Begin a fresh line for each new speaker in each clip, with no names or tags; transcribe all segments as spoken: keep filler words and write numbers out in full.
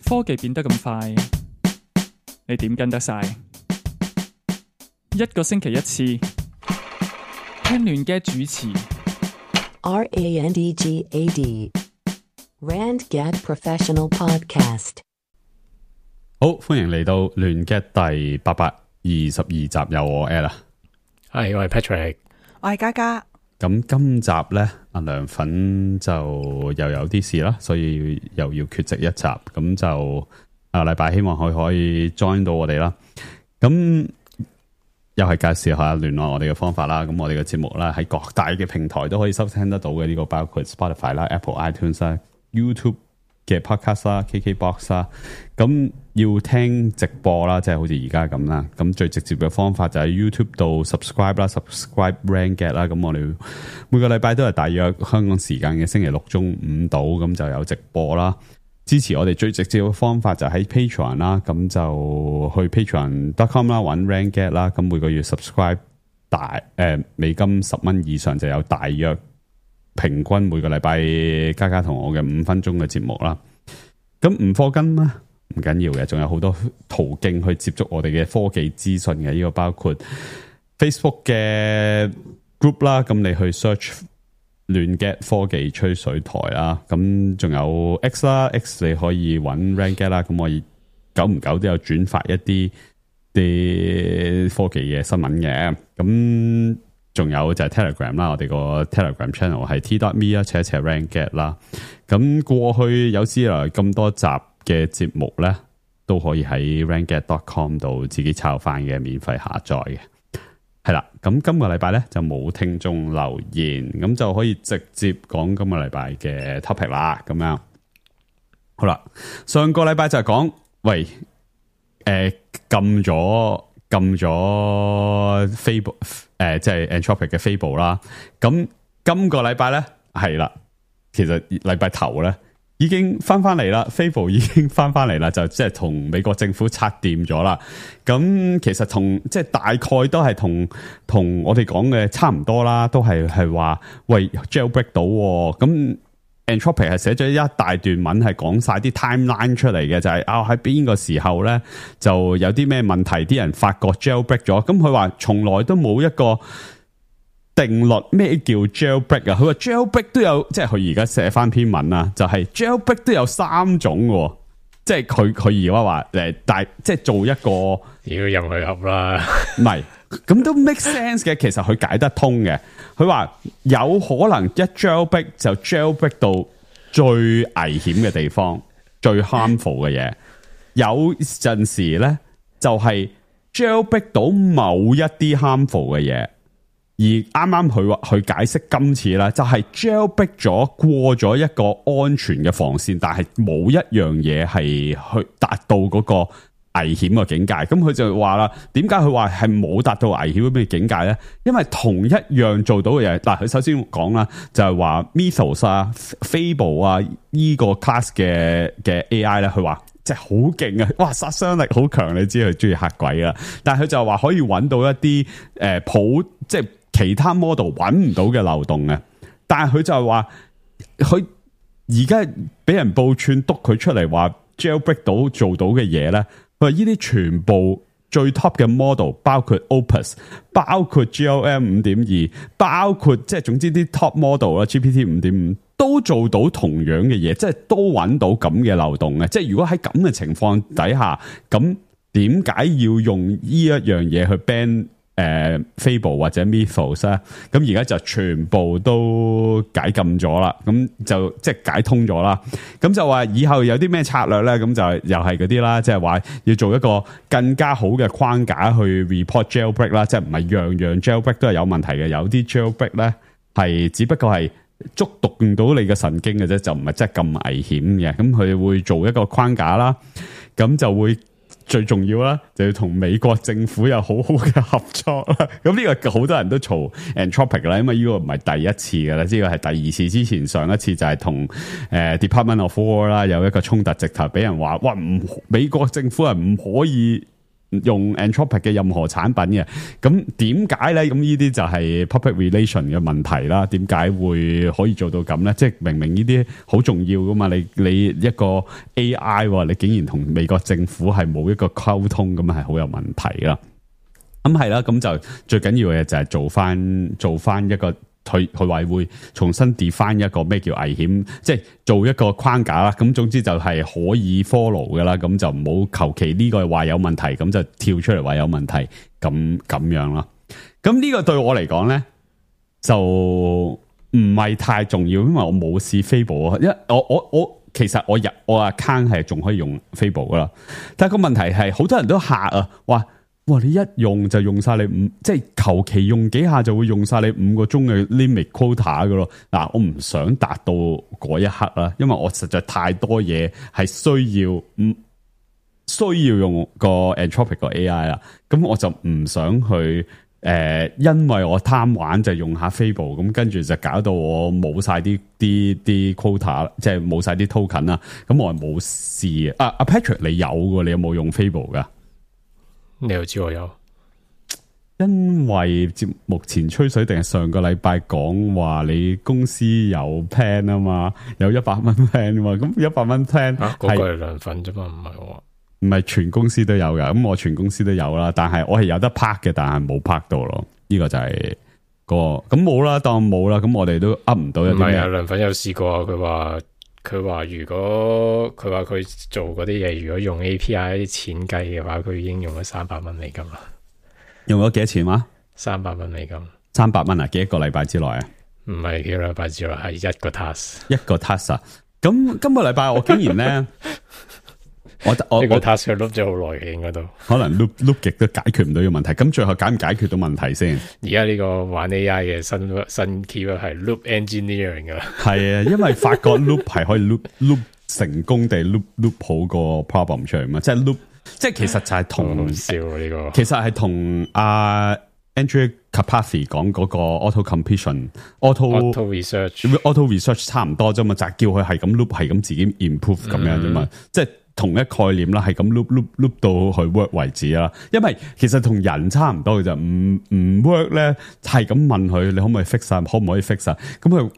科技變得咁快，你點跟得晒？一個星期一次，聽亂嘅主持。
R A N D G A D Rand Gad Professional Podcast。
好，歡迎嚟到亂嘅第八百二十二集，有我 Ella，
係我係 Patrick，
我係嘉嘉。
咁今集呢，阿涼粉就又有啲事啦，所以又要缺席一集。咁就下個禮拜希望佢可以 join 到我哋啦。咁又係介紹下聯絡我哋嘅方法啦。咁我哋嘅節目啦，喺各大嘅平台都可以收聽得到嘅。呢個包括 Spotify 啦、Apple iTunes 啦、YouTube 嘅 Podcast 啦、K K Box 啦。咁要聽直播啦，即係好似而家咁啦。咁最直接嘅方法就喺 YouTube 度 subscribe 啦 ，subscribe Rand Gad 啦。咁我哋每個禮拜都係大約香港時間嘅星期六中午到，咁就有直播啦。支持我哋最直接嘅方法就喺 Patreon 啦，咁就去 patreon dot com 啦，揾 Rand Gad 啦。咁每個月 subscribe 大誒、呃、美金十蚊以上就有大約平均每個禮拜嘉嘉同我嘅五分鐘嘅節目啦。咁唔課金啦。唔緊要嘅，仲有好多途徑去接觸我哋嘅科技資訊嘅。呢個包括 Facebook 嘅 group 啦，咁你去 search 亂 Gad 科技吹水台啦。咁仲有 X 啦 ，X 你可以揾 Rand Gad 啦。咁我久唔久都有轉發一啲啲科技嘅新聞嘅。咁仲有就係 Telegram 啦，我哋個 Telegram channel 係 t dot me 啦，斜斜 Rand Gad 啦。咁過去有史以來咁多集嘅節目咧，都可以喺 rand gad dot com 度自己抄翻嘅，免費下載嘅。係啦，咁今個禮拜咧就冇聽眾留言，咁就可以直接講今個禮拜嘅 topic 啦。咁樣好啦，上個禮拜就係講，喂，誒禁咗禁咗 Fable 誒，即係 Anthropic 嘅 Fable 啦。咁今個禮拜咧係啦，其實禮拜頭咧。已經翻翻嚟啦 Fable 已經翻翻嚟啦，就即係同美國政府拆掂咗啦。咁其實同即係大概都係同同我哋講嘅差唔多啦，都係係話喂 jailbreak 到，咁 Anthropic 係寫咗一大段文係講晒啲 timeline 出嚟嘅，就係啊喺邊個時候咧就有啲咩問題，啲人發覺 jailbreak 咗。咁佢話從來都冇一個定律咩叫 jailbreak 啊？佢話 jailbreak 都有，即係佢而家寫翻篇文啊，就係、是、jailbreak 都有三種嘅，即係佢佢而家話誒，但即係做一個
要入去噏啦，
唔係咁都 make sense 嘅。其實佢解得通嘅。佢話有可能一 jailbreak 就 jailbreak 到最危險嘅地方，最 harmful 嘅嘢。有陣時咧就係 jailbreak 到某一啲 harmful 嘅嘢。而啱啱佢話佢解釋今次咧，就係 jailbreak 咗過咗一個安全嘅防線，但係冇一樣嘢係去達到嗰個危險嘅境界。咁佢就話啦，點解佢話係冇達到危險嘅境界咧？因為同一樣做到嘅嘢，嗱，佢首先講啦，就係話 Mythos 啊、Fable 啊呢個 class 嘅嘅 A I 咧，佢話即係好勁啊！哇，殺傷力好強，你知佢中意嚇鬼啊！但係佢就話可以揾到一啲誒、呃、普即係。其他 model 揾唔到嘅漏洞嘅，但係佢就係話佢而家俾人報串督佢出嚟話 jailbreak 到做到嘅嘢咧，佢話呢啲全部最 top 嘅 model， 包括 Opus， 包括 G L M 五點二， 包括即係總之啲 top model 啦 ，G P T 五點五 都做到同樣嘅嘢，即係都揾到咁嘅漏洞嘅。即係如果喺咁嘅情況底下，咁點解要用呢一樣嘢去 ban？誒、呃、Fable 或者 Mythos 啊，咁而家就全部都解禁咗啦，咁就即係解通咗啦。咁就話以後有啲咩策略咧，咁就又係嗰啲啦，即係話要做一個更加好嘅框架去 report jailbreak 啦，即係唔係樣樣 jailbreak 都係有問題嘅，有啲 jailbreak 咧係只不過係觸動到你嘅神經嘅啫，就唔係真係咁危險嘅。咁佢會做一個框架啦，咁就會。最重要啦，就要同美國政府有好好嘅合作啦。咁呢個好多人都嘈 Anthropic 啦，因為呢個唔係第一次噶啦，呢個係第二次。之前上一次就係同誒 Department of War 啦有一個衝突，直頭俾人話哇唔美國政府係唔可以用 Anthropic 嘅任何產品嘅。咁點解咧？咁呢啲就係 public relation 嘅問題啦。點解會可以做到咁咧？即係明明呢啲好重要噶嘛，你你一個 A I， 你竟然同美國政府係冇一個溝通，咁係好有問題啦。咁係啦，咁就最緊要嘅就係做翻做翻一個佢佢話會重新 define 一個咩叫危險，即係做一個框架啦。咁總之就係可以 follow 噶啦，咁就唔好求其呢個話有問題，咁就跳出嚟話有問題，咁咁樣啦。咁呢個對我嚟講咧就唔係太重要，因為我冇試 Fable 啊，因為我我我其實我入我 account 係仲可以用 Fable 噶啦，但係個問題係好多人都嚇啊，話哇！你一用就用晒你五，即係求其用幾下就會用晒你五個鐘嘅 limit quota 噶咯。嗱，我唔想達到嗰一刻啦，因為我實在太多嘢係需要，唔需要用個 Anthropic 個 A I 啦。咁我就唔想去誒、呃，因為我貪玩就用下 Fable，咁跟住就搞到我冇晒啲啲啲 quota，即係冇晒啲 token 啦。咁我係冇試啊。阿 Patrick 你有嘅，你有冇用 Fable 噶？
你又知我有，
因為節目前吹水定係上個禮拜講話你公司有 plan 啊嘛，有一百蚊 plan 啊嘛，咁一百蚊 plan
啊，嗰、那個係兩份啫嘛，唔係我，
唔係全公司都有噶，咁我全公司都有啦，但係我係有得拍嘅，但係冇拍到咯，呢、這個就係、那個咁冇啦，當冇啦，咁我哋都噏唔到有啲咩。唔係啊，
梁粉有試過，佢話佢話如果佢話佢做嗰啲嘢，如果用 A P I 錢計嘅話，佢已經用咗三百蚊美金啦。
用咗幾多錢話？
三百蚊美金。三
百蚊啊？幾多個禮拜之內啊？
唔係幾個禮拜之內，係一個 task。
一個 task 啊？咁今個禮拜我竟然咧，我我
呢個 task 佢 loop 咗好耐嘅，應該都
可能 loop loop 極都解決唔到呢個問題。咁最後解唔解決到問題先？
而家呢個玩 A I 嘅新新 keyword 係 loop engineering 噶。係
啊，因為發覺 loop 係可以 loop loop 成功地 loop loop 好個 problem 出嚟嘛，即係 loop， 即係其實就係同
笑呢個，
其實係同阿 Andrew Karpathy 講嗰個 auto completion auto
auto research
auto research 差唔多啫嘛，就係叫佢係咁 loop 係咁自己 improve 咁樣啫嘛，嗯、即係同一概念啦，係咁 loop loop loop 到去 work 為止啦。因為其實同人差唔多嘅就唔唔 work 咧，係咁問佢你可唔可以 fix 啊，可唔可以 fix 啊？咁佢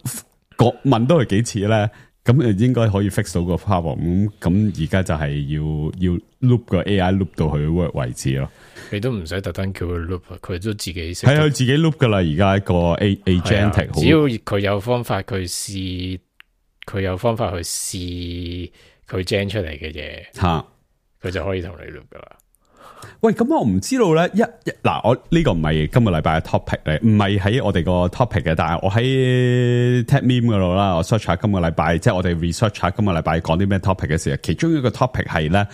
講問多佢幾次咧，咁誒應該可以 fix 到個 problem。咁咁而家就係要要 loop 個 A I loop 到去 work 為止咯。
你都唔使特登叫佢 loop，佢都自己識。
係佢自己 loop 噶啦，而家個 A agentic，
只要佢有方法，佢試，佢有方法去試佢 gen 出嚟嘅嘢，吓，佢就可以同你 loop 噶啦。
喂，咁我唔知道咧，一嗱，我呢個唔係今個禮拜嘅 topic 嚟，唔係喺我哋個 topic 嘅，但係我喺 TechMeme 嗰度啦，我 search 下今個禮拜，即係我哋 research 下今個禮拜講啲咩 topic 嘅時候，其中一個 topic 係咧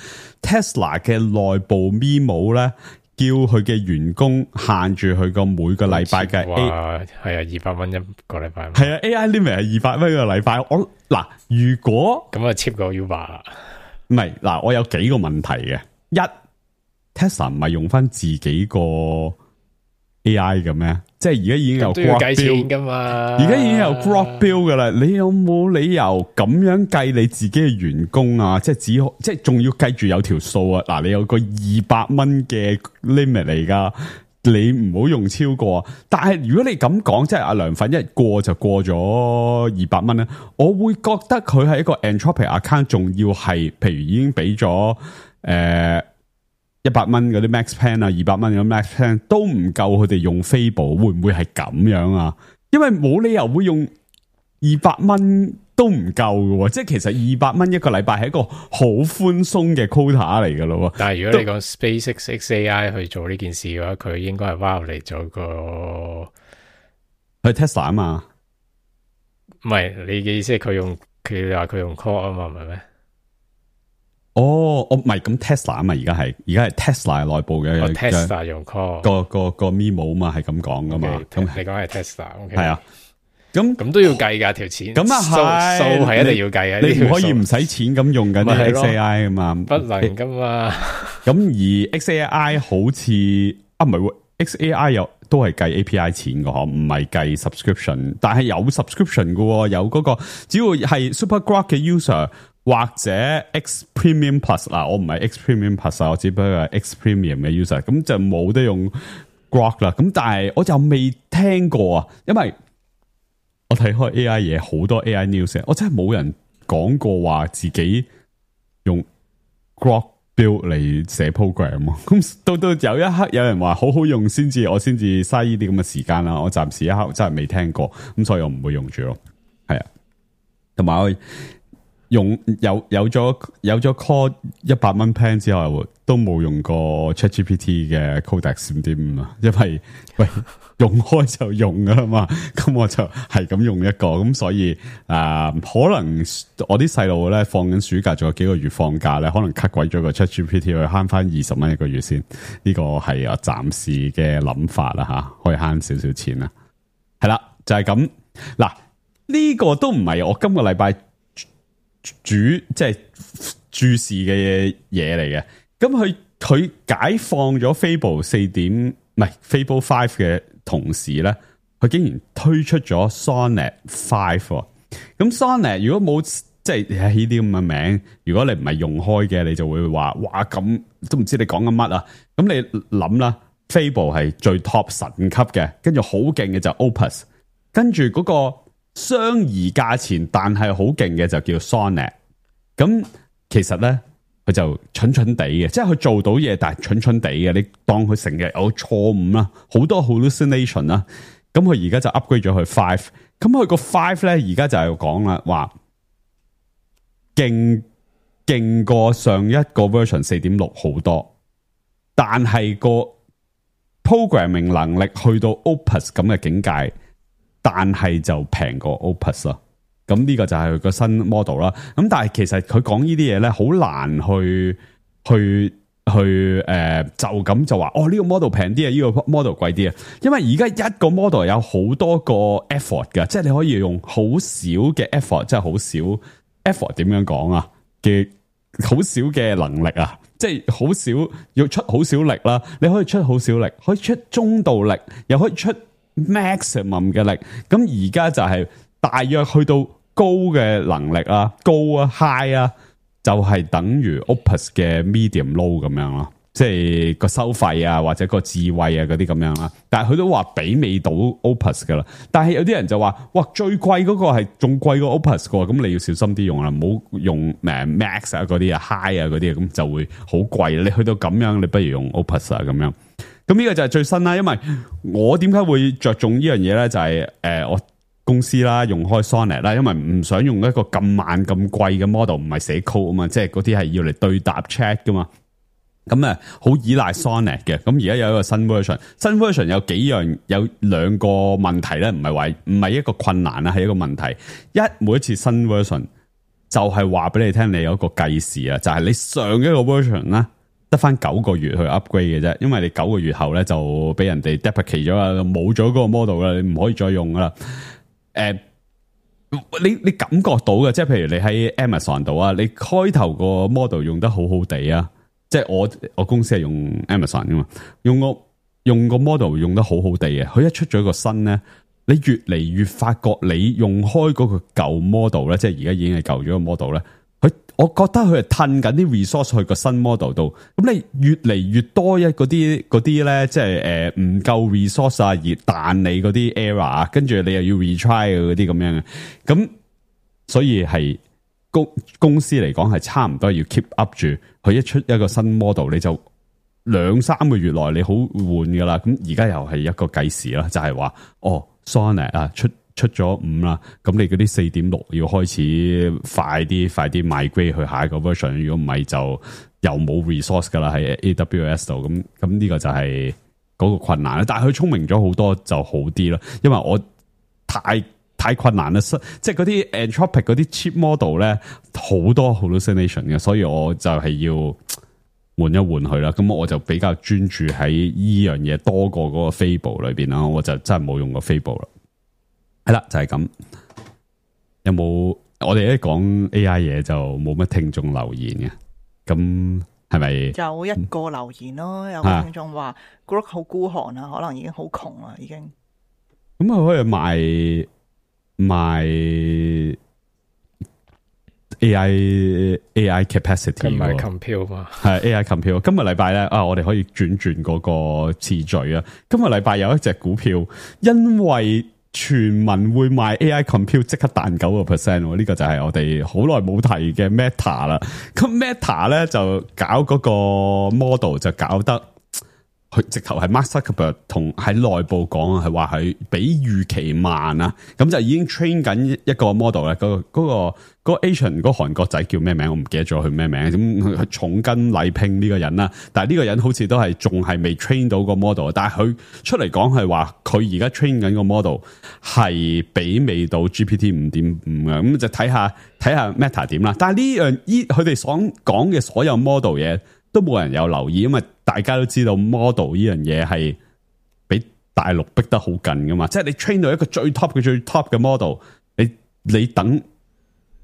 Tesla 嘅內部 memo 咧，叫佢嘅員工限住佢個每個禮拜嘅 A，
係啊，二百蚊一個禮拜，
係啊 ，A I limit 係二百蚊一個禮拜。我嗱，如果
咁啊 cheap 過 Uber 啦，
唔係嗱，我有幾個問題嘅，一。Tesla 唔係用翻自己個 A I 嘅咩？即係而家已經有 Grok
計錢噶嘛？
而家已經有 Grok Bill 噶啦，你有冇理由咁樣計你自己嘅員工啊？即係只即係仲要計住有條數啊！嗱，你有個二百蚊嘅 limit 嚟噶，你唔好用超過。但係如果你咁講，即係阿梁粉一過就過咗二百蚊咧，我會覺得佢係一個 Anthropic account，仲要係譬如已經俾咗誒。一百蚊嗰啲 max plan 啊，二百蚊嗰啲 max plan 都唔夠佢哋用 Fable，會唔會係咁樣啊？因為冇理由會用二百蚊都唔夠嘅，即係其實二百蚊一個禮拜係一個好寬鬆嘅 quota 嚟嘅咯。
但係如果你講 SpaceX X A I 去做呢件事嘅話，佢應該係 violate 咗個
去 Tesla 啊嘛？
唔係，你嘅意思係佢用佢話佢用 Claude 啊嘛？唔係咩？
哦，我唔係咁 Tesla 啊嘛，而家係而家係 Tesla 內部嘅、
哦、Tesla 用 call
個個個 memo 嘛，係咁講噶嘛。咁、okay,
你講係 Tesla， 係、okay.
啊，咁
咁都要計噶條錢。咁啊係，數係一定要計嘅。
你唔可以唔使錢咁用緊啲 X A I 噶嘛？
不能噶嘛。
咁而 X A I 好似啊唔係 X A I 有都係計 A P I 錢噶，唔係計 subscription， 但係有 subscription 噶，有嗰、那個只要係 Super Grok 嘅 user。或者 X Premium Plus 嗱，我唔係 X Premium Plus 啊，我只不過係 X Premium 嘅 user，咁就冇得用 Grok 啦。咁但係我就未聽過啊，因為我睇開 A I 嘢，好多 A I news，我真係冇人講過話自己用 Grok build 嚟寫 program。咁到到有一刻有人話好好用先至，我先至嘥呢啲咁嘅時間啦。我暫時一刻真係未聽過，咁所以我唔會用住咯。係啊，同埋我用有有咗有咗 call 一百蚊 plan 之後，都冇用過 ChatGPT 嘅 Codex 五點五啊，因為喂用開就用噶啦嘛，咁我就係咁用一個，咁所以啊、呃，可能我啲細路咧放緊暑假，仲有幾個月放假咧，可能 cut 鬼咗個 ChatGPT 去慳翻二十蚊一個月先，呢個係我暫時嘅諗法啦吓，可以慳少少錢啦，係啦，就係咁嗱，呢、這個都唔係我今個禮拜主即係注視嘅嘢嚟嘅，咁佢佢解放咗 Fable 四點唔係 Fable Five 嘅同時咧，佢竟然推出咗 Sonnet Five。咁 Sonnet 如果冇即係呢啲咁嘅名，如果你唔係用開嘅，你就會話哇咁都唔知你講緊乜啊！咁你諗啦 ，Fable 係最 top 神級嘅，跟住好勁嘅就 Opus， 跟住嗰個相宜價錢但係好勁嘅就叫 Sonnet。咁其實咧佢就蠢蠢地嘅，即係佢做到嘢，但係蠢蠢地嘅。你當佢成日有錯誤啦，好多 hallucination 啦。咁佢而家就 upgrade 咗佢 five。咁佢個 five 咧，而家就係講啦，話勁勁過上一個 version 四點六好多，但係個 programming 能力去到 Opus 咁嘅境界，但係就平過 Opus 啦。咁呢個就係佢個新 model 啦。咁但係其實佢講呢啲嘢咧，好難去去去誒、呃，就咁就話哦呢、這個 model 平啲啊，呢、這個 model 貴啲啊。因為而家一個 model 有好多個 effort 嘅，即係你可以用好少嘅 effort，即係好少 effort 點樣講啊嘅好少嘅能力啊，即係好少要出好少力啦。你可以出好少力，可以出中度力，又可以出 maximum 嘅力。咁而家就係大約去到高嘅能力啊，高啊 high 啊，就係、是、等於 Opus 嘅 medium low 咁樣咯，即係個收費啊或者個智慧啊嗰啲咁樣啦。但係佢都話媲美到 Opus 噶啦。但係有啲人就話，哇最貴嗰個係仲貴過 Opus 噶，咁你要小心啲用啦，唔好用誒 Max 啊嗰啲啊 High 啊嗰啲，咁就會好貴。你去到咁樣，你不如用 Opus 啊咁樣。咁呢個就係最新啦。因為我點解會着重呢樣嘢咧？就係、是、誒、呃、我。公司啦，用開 Sonnet 啦，因為唔想用一個咁慢咁貴嘅 model，唔係寫 code 啊嘛，即係嗰啲係要嚟對答 chat 噶嘛。咁啊，好依賴 Sonnet 嘅。咁而家有一個新 version， 新 version 有幾樣，有兩個問題咧，唔係話唔係一個困難啦，係一個問題。一每一次新 version 就係話俾你聽，你有一個計時啊，就係、是、你上一個 version 啦，得翻九個月去 upgrade 嘅啫，因為你九個月後咧就俾人哋 deprecate 咗啊，冇咗嗰個 model 啦，你唔可以再用噶啦。誒、呃，你你感覺到嘅，即係譬如你喺 Amazon 度啊，你開頭個 model 用得好好地啊，即係我我公司係用 Amazon 噶嘛，用個用個 model 用得好好地嘅，佢一出咗個新咧，你越嚟越發覺你用開嗰個舊 model 咧，即係而家已經係舊咗個 model 咧。佢，我覺得佢係褪緊啲 resource 去個新 model 度，咁你越嚟越多一嗰啲嗰啲咧，即係誒唔夠 resource 啊，而彈你嗰啲 error 啊，跟住你又要 retry 嗰啲咁樣嘅，咁所以係公公司嚟講係差唔多要 keep up 住，佢一出一個新 model 你就兩三個月內你好換噶啦，咁而家又係一個計時啦，就係話哦 Sonnet 啊出。出咗五啦，咁你嗰啲四點六要開始快啲，快啲 migrate 去下一個 version。如果唔係就又冇 resource 噶啦，喺 A W S 度。咁咁呢個就係嗰個困難啦。但係佢聰明咗好多就好啲咯，因為我太太困難啦，即係嗰啲 Anthropic 嗰啲 cheap model 咧好多 hallucination 嘅，所以我就係要換一換佢啦。咁我就比較專注喺依樣嘢多過嗰個 Fable 裏邊啦，我就真係冇用過 Fable 啦。係啦，就係、是、咁。有冇我哋一講 A I 嘢就冇乜聽眾留言嘅？咁係咪？
有一個留言咯，有個聽眾話 Grok 好孤寒啊，可能已經好窮啦，已經。
咁佢可以賣賣 A I A I capacity，
佢唔係 compute 嘛？
係 A I compute。今日禮拜咧啊，我哋可以轉轉嗰個次序啊。今日禮拜有一隻股票，因為傳聞會賣 A I compute， 即刻彈九個 percent。呢個就係我哋好耐冇提嘅 Meta 啦。咁 Meta 咧就搞嗰個 model 就搞得。佢直頭係 Mark Zuckerberg 同喺內部講係話係比預期慢啊，咁就已經 train 緊一個 model 咧。嗰、嗰個嗰、嗰個 Asian 嗰個韓國仔叫咩名？我唔記得咗佢咩名。咁佢重金禮聘呢個人啦，但係呢個人好似都係仲係未 train 到個 model。但係佢出嚟講係話佢而家 train 緊個 model 係媲美到 G P T 五點五嘅。咁就睇下睇下 Meta 點啦。但係呢樣依佢哋所講嘅所有 model 嘢都冇人有留意，因為大家都知道 model 呢樣嘢係俾大陸逼得好緊噶嘛，即係你 train 到一個最 top 嘅最 top 嘅 model， 你你等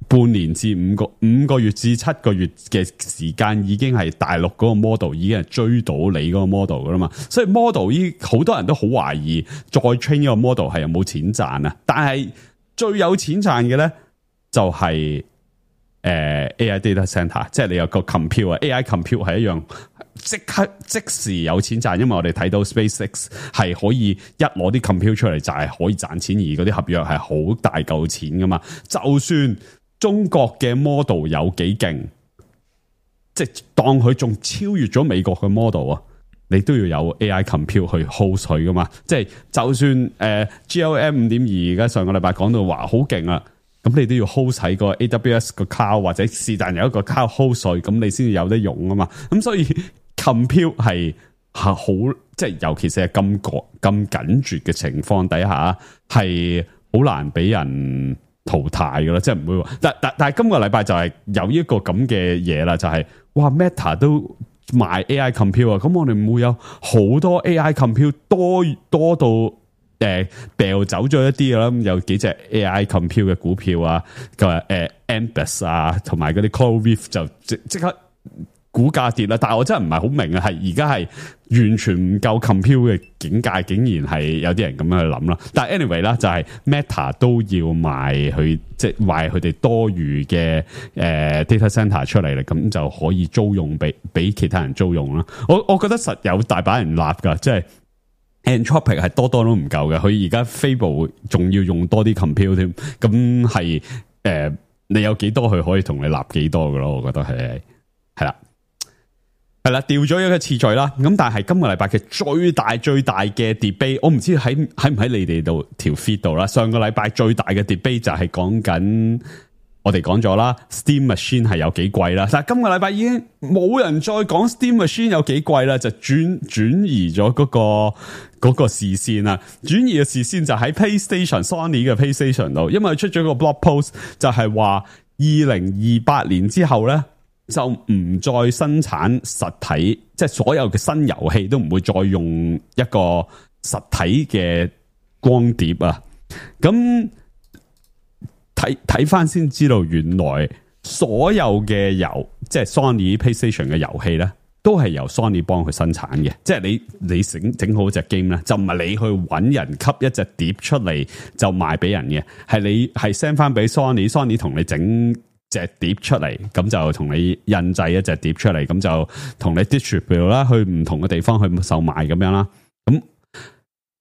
半年至五個五個月至七個月嘅時間，已經係大陸嗰個 model 已經係追到你嗰個 model 噶啦嘛，所以 model 依好多人都好懷疑再 train 呢個 model 係有冇錢賺啊，但係最有錢賺嘅咧就係、是。誒、uh, A I data center， 即係你有個 compute 啊 ，A I compute 係一樣即刻即時有錢賺，因為我哋睇到 SpaceX 係可以一攞啲 compute 出嚟就係可以賺錢，而嗰啲合約係好大嚿錢噶嘛。就算中國嘅 model 有幾勁，即係當佢仲超越咗美國嘅 model 啊，你都要有 A I compute 去 hold 佢噶嘛。即係就算誒、呃、G L M 五點二而家上個禮拜講到話好勁啊。咁你都要 hold 喺個 A W S 個 cloud 或者是但有一個 cloud hold 稅，咁你先至有得用啊嘛。咁所以 compute 係係好，即係尤其是係咁緊咁緊絕嘅情況底下，係好難俾人淘汰噶啦。即係唔會話，但但但係今個禮拜就係有一個咁嘅嘢啦，就係、是、哇 Meta 都賣 A I compute 啊，咁我哋唔會有好多 A I compute 多多到。誒，掉走咗一啲啦，有幾隻 A I compute 嘅股票啊，個誒 Ambus 啊，同埋嗰啲 CoreWeave 就即即刻股價跌啦。但係我真係唔係好明啊，係而家係完全唔夠 compute 嘅境界，竟然係有啲人咁樣去諗啦。但係 anyway 啦，就係 Meta 都要賣佢，即係賣佢哋多餘嘅誒 data center 出嚟啦，咁就可以租用俾俾其他人租用啦。我我覺得實有大把人立噶，即係。Anthropic 係多多都唔夠嘅，佢而家 Fable 仲要用多啲 compute 添，咁係誒，你有幾多佢可以同你立幾多嘅咯？我覺得係係啦，係啦，調咗一個次序啦。咁但係今個禮拜嘅最大最大嘅 debate， 我唔知喺喺唔喺你哋度條 feed 度啦。上個禮拜最大嘅 debate 就係講緊。我哋講咗啦 ，Steam Machine 係有幾貴啦，但係今個禮拜已經冇人再講 Steam Machine 有幾貴啦，就轉轉移咗嗰個嗰個視線啦，轉移嘅視線就喺 PlayStation Sony 嘅 PlayStation 度，因為出咗個 blog post 就係話二零二八年之後咧就唔再生產實體，即係所有嘅新遊戲都唔會再用一個實體嘅光碟啊，咁。睇睇翻先知道，原來所有嘅遊，即係 Sony PlayStation 嘅遊戲咧，都係由 Sony 幫佢生產嘅。即係你你整整好隻 game 咧，就唔係你去搵人吸一隻碟出嚟就賣俾人嘅，係你係 send 翻俾 Sony，Sony 同你整隻碟出嚟，咁就同你印製一隻碟出嚟，咁就同你 distribute 啦，去唔同嘅地方去售賣咁樣啦，咁。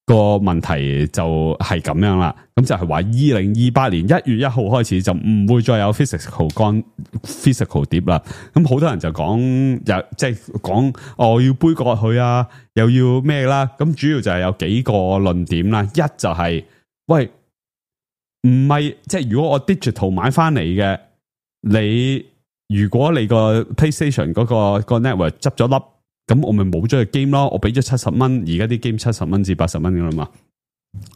個問題就係咁樣啦，咁就係話二零二八年一月一號開始就唔會再有 physical 乾 physical 碟啦。咁好多人就講，又即係講哦要杯葛佢啊，又要咩啦。咁主要就係有幾個論點啦。一就係、是、喂，唔係即係如果我 digital 買翻嚟嘅，你如果你個 PlayStation 嗰、那個、那個 network 執咗粒。咁我咪冇咗個 game 咯，我俾咗七十蚊，而家啲 game 七十蚊至八十蚊噶啦嘛，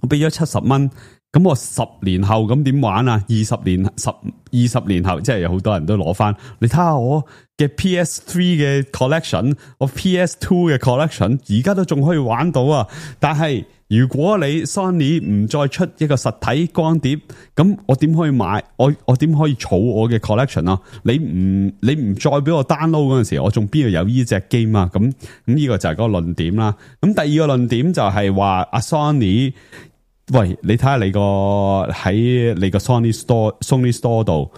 我俾咗七十蚊，咁我十年後咁點玩啊？二十年十二十年後，即係有好多人都攞翻，你睇下我嘅 P S three 嘅 collection， 我 P S two 嘅 collection， 而家都仲可以玩到啊！但係如果你 Sony 唔再出一個實體光碟，咁我點可以買？我我點可以儲我嘅 collection 啊？你唔你唔再俾我 download 嗰陣時，我仲邊度有呢隻 game 啊？咁咁呢個就係嗰個論點啦。咁第二個論點就係話阿 Sony，喂，你睇下你個喺你個 Sony Store Sony Store 度，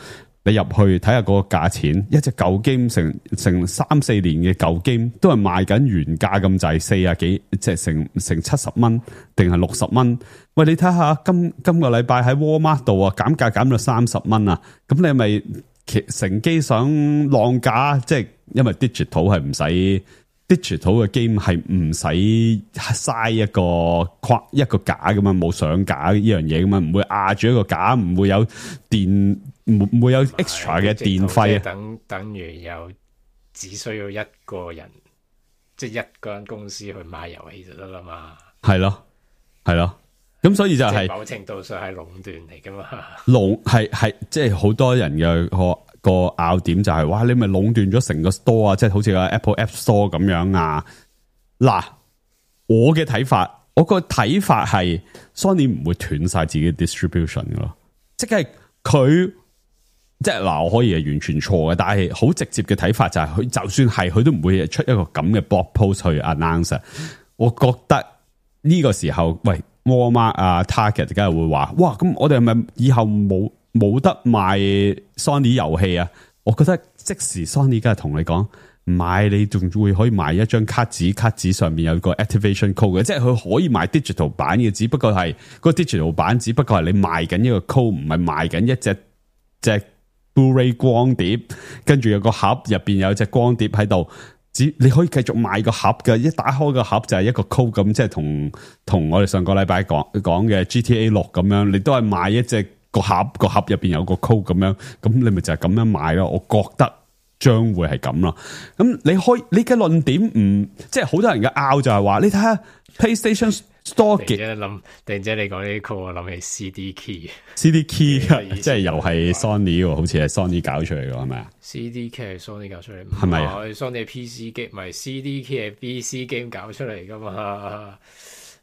你入去睇下嗰個價錢，一隻舊 game 成成三四年嘅舊 game 都係賣緊原價咁滯，四啊幾，即係成成七十蚊定係六十蚊。喂，你睇下今今個禮拜喺 Walmart 度啊，減價減到三十蚊啊，咁你係咪乘機想浪價？即係因為 digital 係唔使。digital 嘅 game 係唔使嘥一個框一個架咁嘛，冇上架呢樣嘢咁嘛，唔會壓住一個架，唔會有電，唔會有 extra 嘅電費啊。
等等於有只需要一個人，即係一間公司去買遊戲就得啦嘛。係
咯，係咯，咁所以就係、是、
某程度上係壟斷嚟噶嘛。
壟係係即係好多人嘅個。個拗點就係、是、哇，你咪壟斷咗成個 store 啊，即係好似個 Apple App Store 咁樣啊。嗱，我嘅睇法，我個睇法係 Sony 唔會斷晒自己 distribution 噶咯，即係佢即係嗱，我可以係完全錯嘅，但係好直接嘅睇法就係、是、佢就算係佢都唔會出一個咁嘅 blog post 去 announce。我覺得呢個時候，喂 Walmart 啊 Target 梗係會話，哇，咁我哋係咪以後冇？冇得賣 Sony 遊戲啊！我覺得即時 Sony 梗係同你講，唔買你仲會可以賣一張卡紙，卡紙上面有個 activation code 嘅，即係佢可以賣 digital 版嘅，只不過係個 digital 版只不過係你賣緊一個 code，唔係賣緊一隻隻 Blu-ray 光碟，跟住有個盒入邊有隻光碟喺度，只你可以繼續賣個盒嘅，一打開個盒就係一個 code 咁，即係同同我哋上個禮拜講講嘅 G T A 六咁樣，你都係賣一隻。個盒個盒入邊有個 code 咁樣，咁你咪就係咁樣買咯。我覺得將會係咁咯。咁你開你嘅論點唔即係好多人嘅拗就係話，你睇下 PlayStation Store 嘅。突然間諗，突然間你講呢啲 code，我諗起 C D key，C D key 即係又係 Sony， 好似係 Sony 搞出嚟嘅係咪啊
？C D key 係 Sony 搞出嚟，
係咪啊
？Sony 係 P C game， 唔係 C D key 係 P C game 搞出嚟噶嘛？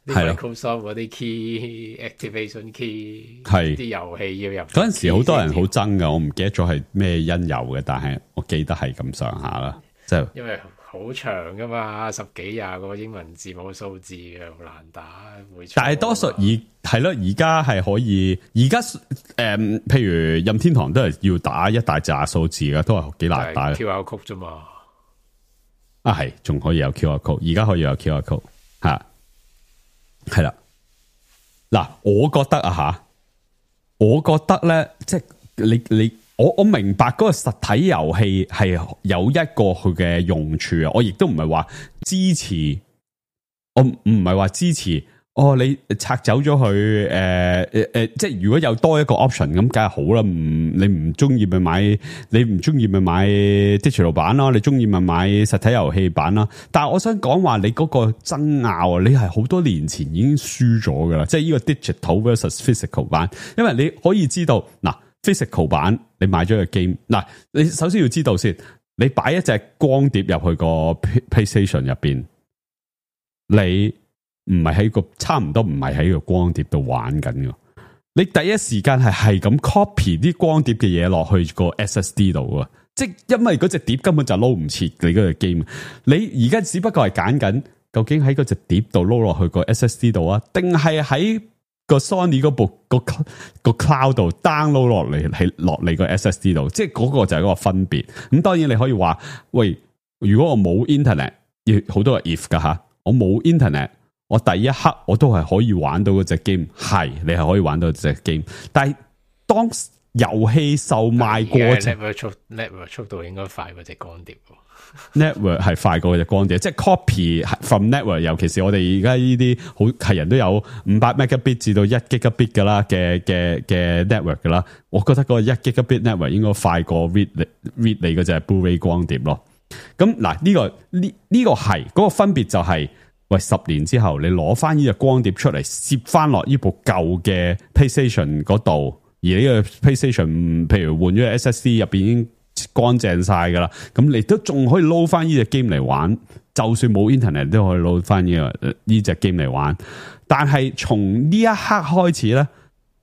係
Microsoft 嗰啲 key activation key
係
啲遊戲要入
嗰陣時，好多人好憎噶，我唔記得咗係咩因由嘅，但係我記得係咁上下啦，即係因為
好長噶嘛，十幾廿個英文字母數字嘅，好難打。會
但係多數而係咯，而家係可以，而家誒，譬如任天堂都係要打一大紮數字嘅，都係幾難打。
Q R code 啫嘛，
啊係，仲可以有 Q R code， 而家可以有 Q R code 吓。係啦，嗱，我覺得啊吓，我覺得咧，即係你你我我明白嗰個實體遊戲係有一個佢嘅用處啊，我亦都唔係話支持，我唔唔係話支持。哦，你拆走咗佢，誒誒誒，即係如果有多一個 option 咁，梗係好啦。唔，你唔中意咪買，你唔中意咪買 digital 版咯，你中意咪買實體遊戲版啦。但係我想講話，你嗰個爭拗啊，你係好多年前已經輸咗噶啦，即係呢個 digital versus physical 版。因為你可以知道，嗱 physical 版你買咗個 game，嗱你首先要知道先，你擺一隻光碟入去個 PlayStation 入邊，你。唔係喺個差唔多唔係喺個光碟度玩緊嘅，你第一時間係係咁 copy 啲光碟嘅嘢落去個 S S D 度啊！即係因為嗰隻碟根本就撈唔切你嗰隻 game，你而家只不過係揀緊究竟喺嗰隻碟度撈落去個 S S D 度啊，定係喺個 Sony 嗰部個個 cloud 度 download 落嚟係落嚟個 S S D 度，即係嗰個就係嗰個分別。咁當然你可以話喂，如果我冇 internet， 要好多個 if 噶吓，我冇 internet。我第一刻我都係可以玩到嗰隻 game， 係你係可以玩到隻 game， 但係當遊戲售賣過程
，network 速 network 速度應該快過隻光碟
，network 係快過隻光碟，即係 copy from network， 尤其是我哋而家呢啲好係人都有五百 megabit 至到一 gigabit 噶啦嘅嘅嘅 network 噶啦，我覺得嗰個一 gigabit network 應該快過 read read 你嗰隻 Blu-ray 光碟咯。咁嗱呢個呢呢、這個係嗰、那個分別就係、是。喂，十年之後你攞翻呢隻光碟出嚟，攝翻落呢部舊嘅 PlayStation 嗰度，而呢個 PlayStation 譬如換咗 S S D 入邊已經乾淨晒噶啦，咁你都仲可以撈翻呢隻 game 嚟玩，就算冇 internet 都可以撈翻呢個呢隻 game 嚟玩。但係從呢一刻開始咧，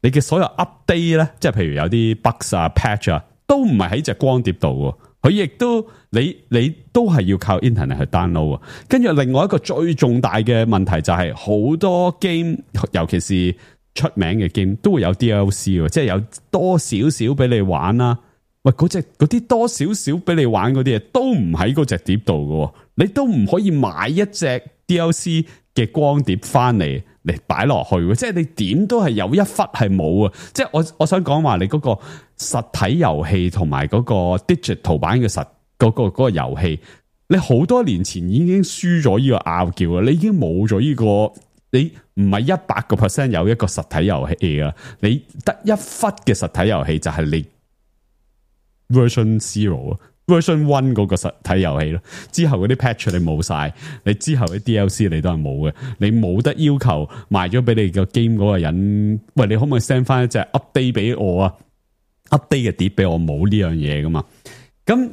你嘅所有 update 咧，即係譬如有啲 bugs 啊、patch 啊，都唔係喺隻光碟度。佢亦都你你都係要靠 internet 去 download 啊，跟住另外一個最重大嘅問題就係好多 game， 尤其是出名嘅 game 都會有 D L C， 即係有多少少俾你玩啦。喂，嗰隻嗰啲多少少俾你玩嗰啲嘢都唔喺嗰隻碟度嘅，你都唔可以買一隻 D L C 嘅光碟翻嚟嚟擺落去，即係你點都係有一忽係冇啊！即係我我想講話你嗰個實體遊戲同埋嗰個 digital 版嘅實嗰個嗰個遊戲，你好多年前已經輸咗呢個拗撬啊！你已經冇咗呢個，你唔係一百個 percent 有一個實體遊戲啊！你得一忽嘅實體遊戲就係你 version zero。version one 嗰個實體遊戲咯，之後嗰啲 patch 你冇晒，你之後啲 D L C 你都係冇嘅，你冇得要求賣咗俾你個 game 嗰個人，喂，你可唔可以 send 翻一隻 update 俾我啊 ？update 嘅碟俾我，冇呢樣嘢噶嘛？咁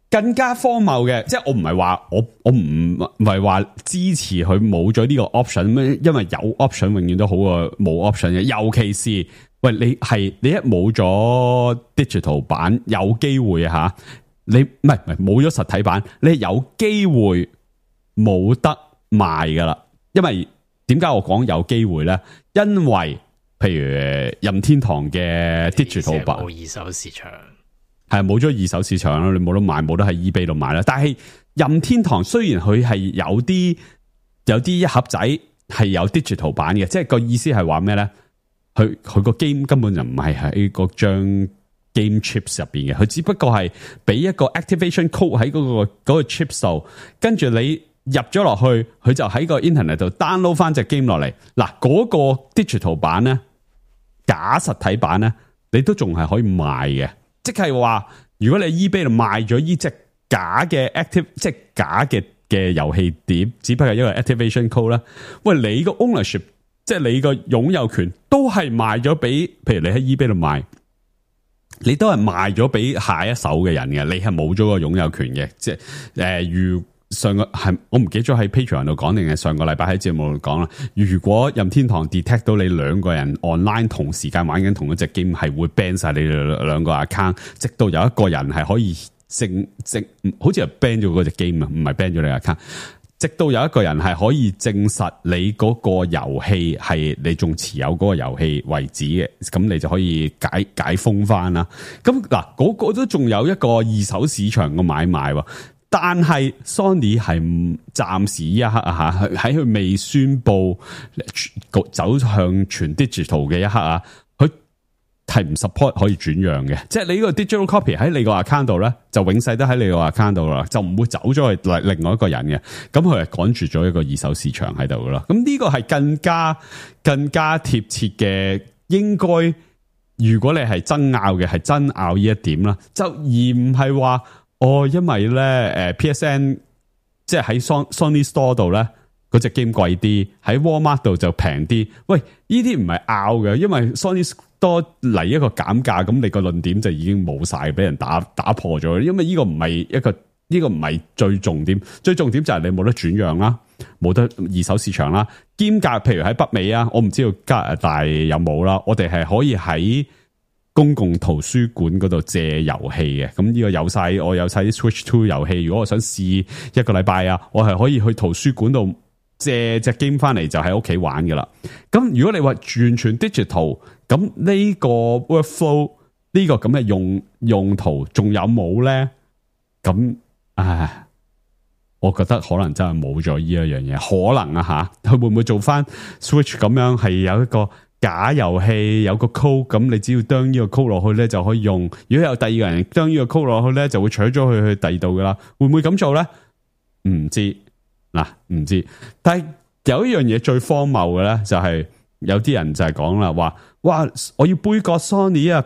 更加荒謬嘅，即係我唔係話我我唔唔係話支持佢冇咗呢個 option 咩？因為有 option 永遠都好過冇 option 嘅，尤其是喂你係你一冇咗 digital 版，有機會啊吓。你唔係唔係冇咗實體版，你有機會冇得賣噶啦。因為點解我講有機會咧？因為譬如任天堂嘅 digital 版
冇二手市場，
係冇咗二手市場啦，你冇得賣，冇得喺 eBay 度買啦。但係任天堂雖然佢係有啲有啲一盒仔係有 digital 版嘅，即係個意思係話咩咧？佢佢個 game 根本就唔係喺嗰張game chips 入邊嘅，佢只不過係俾一個 activation code 喺嗰、嗰個、嗰個 chips 度，跟住你入咗落去，佢就喺個 internet 度 download 翻隻 game 落嚟。嗱，嗰個 digital 版咧，假實體版咧，你都仲係可以賣嘅。即係話，如果你 eBay 度賣咗呢隻假嘅 active， 即係假嘅嘅遊戲碟，只不過係一個 activation code 啦。喂，你個 ownership， 即係你個擁有權，都係賣咗俾，譬如你喺 eBay 度賣。你都係賣咗俾下一手嘅人嘅，你係冇咗個擁有權嘅。即係誒，如上個係我唔記得咗喺 Patreon 度講定係上個禮拜喺節目度講啦。如果任天堂 detect 到你兩個人 online 同時間玩緊同一隻 game， 係會 ban 晒你哋兩個 account， 直到有一個人係可以證證，好似係 ban 咗嗰隻 game 啊，唔係 ban 咗你 account。直到有一個人係可以證實你嗰個遊戲係你仲持有嗰個遊戲為止嘅，咁你就可以解解封翻啦。咁嗱，嗰個都仲有一個二手市場嘅買賣，但係 Sony 係暫時呢一刻啊吓，喺佢未宣布走向全 digital 嘅一刻啊，佢係唔 support 可以轉讓嘅，即係你呢個 digital copy 喺你個 account 度咧，就永世都喺你個 account 度啦，就唔會走咗去另外一個人嘅。咁佢係趕住咗一個二手市場喺度噶啦。咁呢個係更加更加貼切嘅，應該如果你係爭拗嘅，係爭拗呢一點啦，就而唔係話哦，因為咧誒 P S N 即係喺 Sony Store 度咧。嗰隻 game 貴啲，喺 Walmart 度就平啲。喂，呢啲唔係拗嘅，因為 Sony Store 嚟一個減價，咁你個論點就已經冇晒，俾人打打破咗。因為呢個唔係一個，呢、呢個唔係最重點，最重點就係你冇得轉讓啦，冇得二手市場啦。兼夾，譬如喺北美啊，我唔知道加拿大有冇啦，我哋係可以喺公共圖書館嗰度借遊戲嘅。咁呢個有晒，我有晒啲 Switch Two 遊戲。如果我想試一個禮拜啊，我係可以去圖書館度借隻 game 翻嚟就喺屋企玩噶啦。咁如果你話完全 digital， 咁呢個 workflow 呢個咁嘅用用途仲有冇咧？咁唉，我覺得可能真係冇咗呢一樣嘢，可能啊吓，佢會唔會做翻 Switch 咁樣係有一個假遊戲，有個 code， 咁你只要將呢個 code 落去咧就可以用。如果有第二個人將呢個 code 落去咧，就會取咗佢去第二度噶啦。會唔會咁做咧？唔知。嗱，唔知，但係有一樣嘢最荒謬嘅咧，就係有啲人就係講啦，話哇，我要杯葛 Sony 啊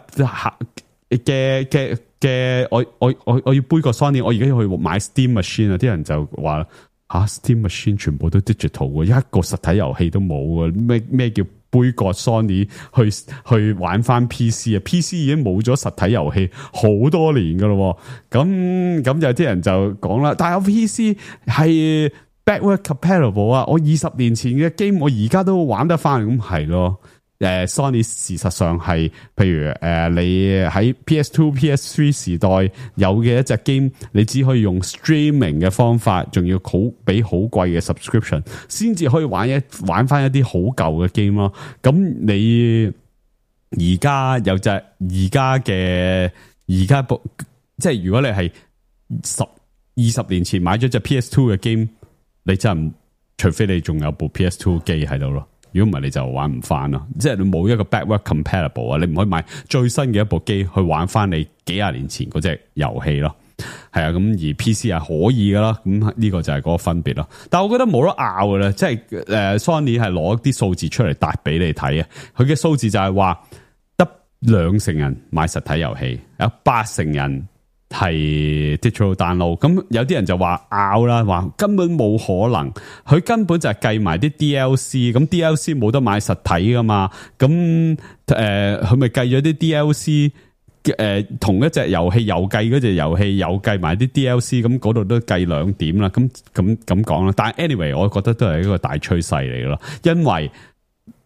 嘅嘅嘅，我我我我要杯葛 Sony， 我而家要去買 Steam Machine 啊！啲人就話吓、啊、Steam Machine 全部都 digital 嘅，一個實體遊戲都冇嘅，咩咩叫杯葛 Sony 去去玩翻 P C 啊 ？P C 已經冇咗實體遊戲好多年噶咯，咁咁有啲人就講啦，但係我 P C 係backward compatible 啊！我二十年前嘅 game 我而家都玩得翻，咁係咯。誒 ，Sony 事實上係，譬如誒、呃，你喺 P S Two、P S Three 時代有嘅一隻 game，你只可以用 streaming 嘅方法，仲要好俾好貴嘅 subscription， 先至可以玩一玩翻一啲好舊嘅 game 咯。咁你而家有隻而家嘅而家部即係如果你係十二十年前買咗隻 P S two 嘅 game，你真係除非你仲有部 P S two 機喺度咯。如果唔係你就玩唔翻咯，即係你冇一個 backward compatible 啊，你唔可以買最新嘅一部機去玩翻你幾廿年前嗰隻遊戲咯。係啊，咁而 P C 係可以噶啦，咁呢個就係嗰個分別咯。但係我覺得冇得拗嘅咧，即係誒 Sony 係攞啲數字出嚟答俾你睇啊。佢嘅數字就係話得兩成人買實體遊戲，有八成人係 digital download。咁有啲人就話拗啦，話根本冇可能，佢根本就係計埋啲 D L C， 咁 D L C 冇得買實體噶嘛，咁誒佢咪計咗啲 D L C。誒、呃，同一隻遊戲又計嗰隻遊戲，又計埋啲 D L C， 咁嗰度都計兩點啦。咁咁咁講啦。但係 anyway，我覺得都係一個大趨勢嚟嘅咯。因為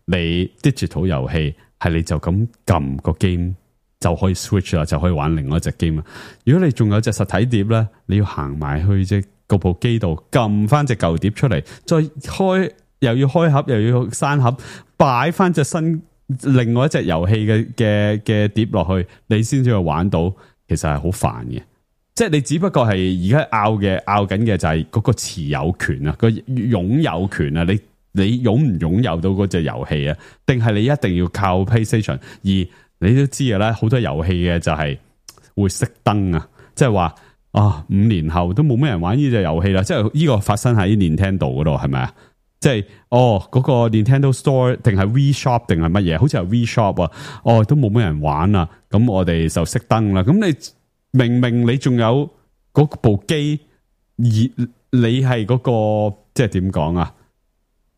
你 digital 遊戲係你就咁撳個 game 就可以 switch 啦，就可以玩另外一隻 game 啦。如果你仲有隻實體碟咧，你要行埋去隻嗰部機度撳翻隻舊碟出嚟，再開又要開盒又要閂盒，擺翻隻新。另外一隻遊戲嘅嘅嘅碟落去，你先至去玩到，其實係好煩嘅。即係你只不過係而家拗嘅拗緊嘅就係嗰個持有權啊，個擁有權啊，你你擁唔擁有到嗰隻遊戲啊？定係你一定要靠 PlayStation？而你都知嘅啦，好多遊戲嘅就係會熄燈啊，即係話啊五年後都冇咩人玩呢隻遊戲啦。即係呢個發生喺 Nintendo 嗰度係咪啊？即係哦，嗰、那個 Nintendo Store 定係 Wii Shop 定係乜嘢？好似係 Wii Shop 啊，哦都冇乜人玩啊，咁我哋就熄燈啦。咁你明明你仲有嗰部機，而你係嗰、那個即係點講啊？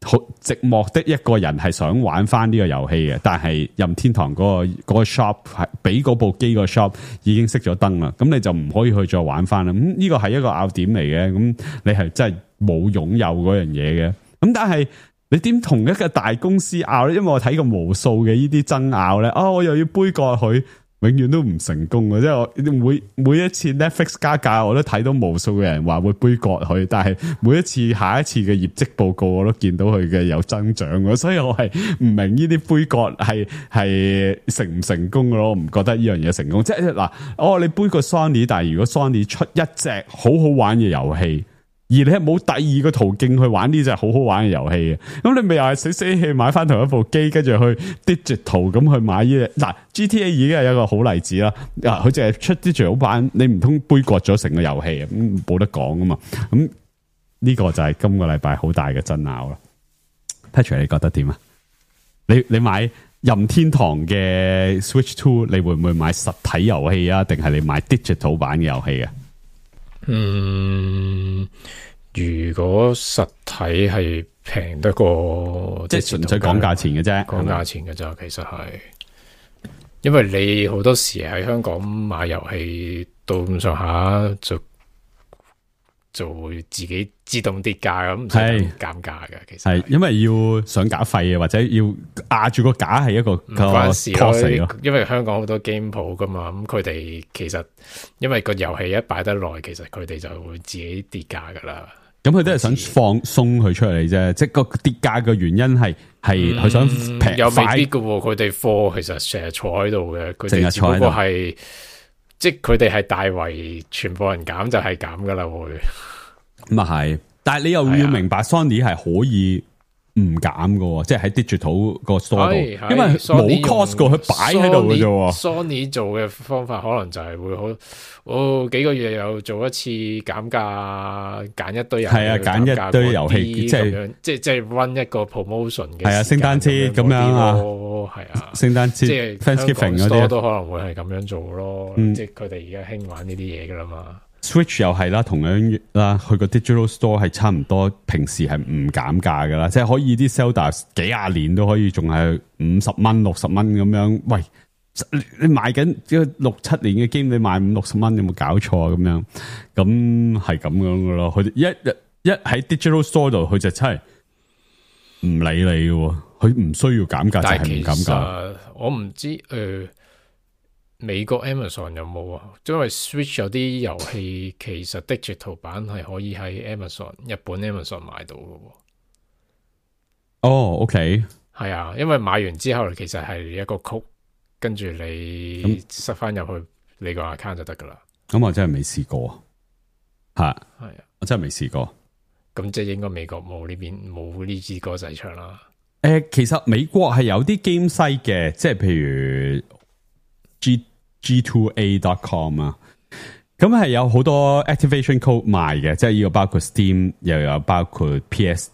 好寂寞的一個人係想玩翻呢個遊戲嘅，但係任天堂嗰、那個、那個 shop 係俾嗰部機個 shop 已經熄咗燈啦，咁你就唔可以去再玩翻啦。咁呢個係一個拗點嚟嘅，咁你係真係冇擁有嗰樣嘢嘅。咁但係你點同一個大公司拗咧？因為我睇過無數嘅呢啲爭拗咧，啊、哦、我又要杯葛佢，永遠都唔成功嘅。即係我每每一次 Netflix 加價，我都睇到無數嘅人話會杯葛佢，但係每一次下一次嘅業績報告，我都見到佢嘅有增長嘅，所以我係唔明呢啲杯葛係係成唔成功嘅咯？我唔覺得呢樣嘢成功。即係嗱，哦你杯葛 Sony， 但係如果 Sony 出一隻好好玩嘅遊戲。而你係冇第二個途徑去玩呢隻好好玩嘅遊戲嘅，咁你咪又係死死氣買翻同一部機，跟住去 digital 咁去買呢隻嗱 G T A 已經係一個好例子啦。啊，佢淨係出 digital 版，你唔通杯葛咗成個遊戲啊？咁冇得講噶嘛。咁呢個就係今個禮拜好大嘅爭拗啦。Patrick 你覺得點啊？你你買任天堂嘅 Switch Two， 你會唔會買實體遊戲啊？定係你買 digital 版嘅遊戲啊？
嗯，如果實體係平得過，
即係純粹講價錢嘅啫，
講價錢嘅咋，其實係，因為你好多時喺香港買遊戲到咁上下就就會自己自動跌價咁，唔使減價嘅。其實係
因為要上架費啊，或者要壓住個架係一個
唔關事咯。因為香港好多 game 鋪噶嘛，咁佢哋其實因為個遊戲一擺得耐，其實佢哋就會自己跌價噶啦。
咁佢都係想放鬆佢出嚟啫，即係個跌價嘅原因係係佢想平，
又未必噶。佢哋貨其實成日坐喺度嘅，佢哋只不過係即係佢哋係大為全部人減就係減噶啦會。
咁啊係，但係你又要明白 Sony 係可以唔減嘅，即係喺 digital 個 store 度，因為冇 cost 過，佢擺喺度嘅啫。
Sony 做嘅方法可能就係會好，哦幾個月又做一次減價，揀一堆人係啊，揀一堆遊戲，即係即係即係 run 一個 promotion 嘅。係啊，聖誕節咁樣啊，係啊，聖誕節即係 Thanksgiving 嗰啲都可能會係咁樣做咯。嗯、即係佢哋而家興玩呢啲嘢噶啦嘛。
Switch 又係啦，同樣啦，佢個 digital store 係差唔多，平時係唔減價噶啦，即係可以啲 Zelda 幾廿年都可以，仲係五十蚊、六十蚊咁樣。喂，你賣緊六七年嘅 game，你賣五六十蚊，有冇搞錯啊？咁樣，咁係咁樣噶咯。佢哋一一喺 digital store 度，佢就真係唔理你嘅，佢唔需要減價就係唔減價。
我唔知誒。呃美國 Amazon 有冇啊？因為 Switch 有啲遊戲其實 digital 版係可以喺 Amazon 日本 Amazon 買到嘅。
哦 ，OK，
係啊，因為買完之後其實係一個曲，跟住你塞翻入去你個 account 就得噶啦。
咁我真係未試過，係
係啊，
我真係未試過。
咁即係應該美國冇呢邊冇呢支歌仔唱啦。
誒、呃，其實美國係有啲 game site 嘅，即係譬如 G G two A dot com 啊，咁係有好多 activation code 賣嘅，即係呢個包括 Steam，又有包括 P S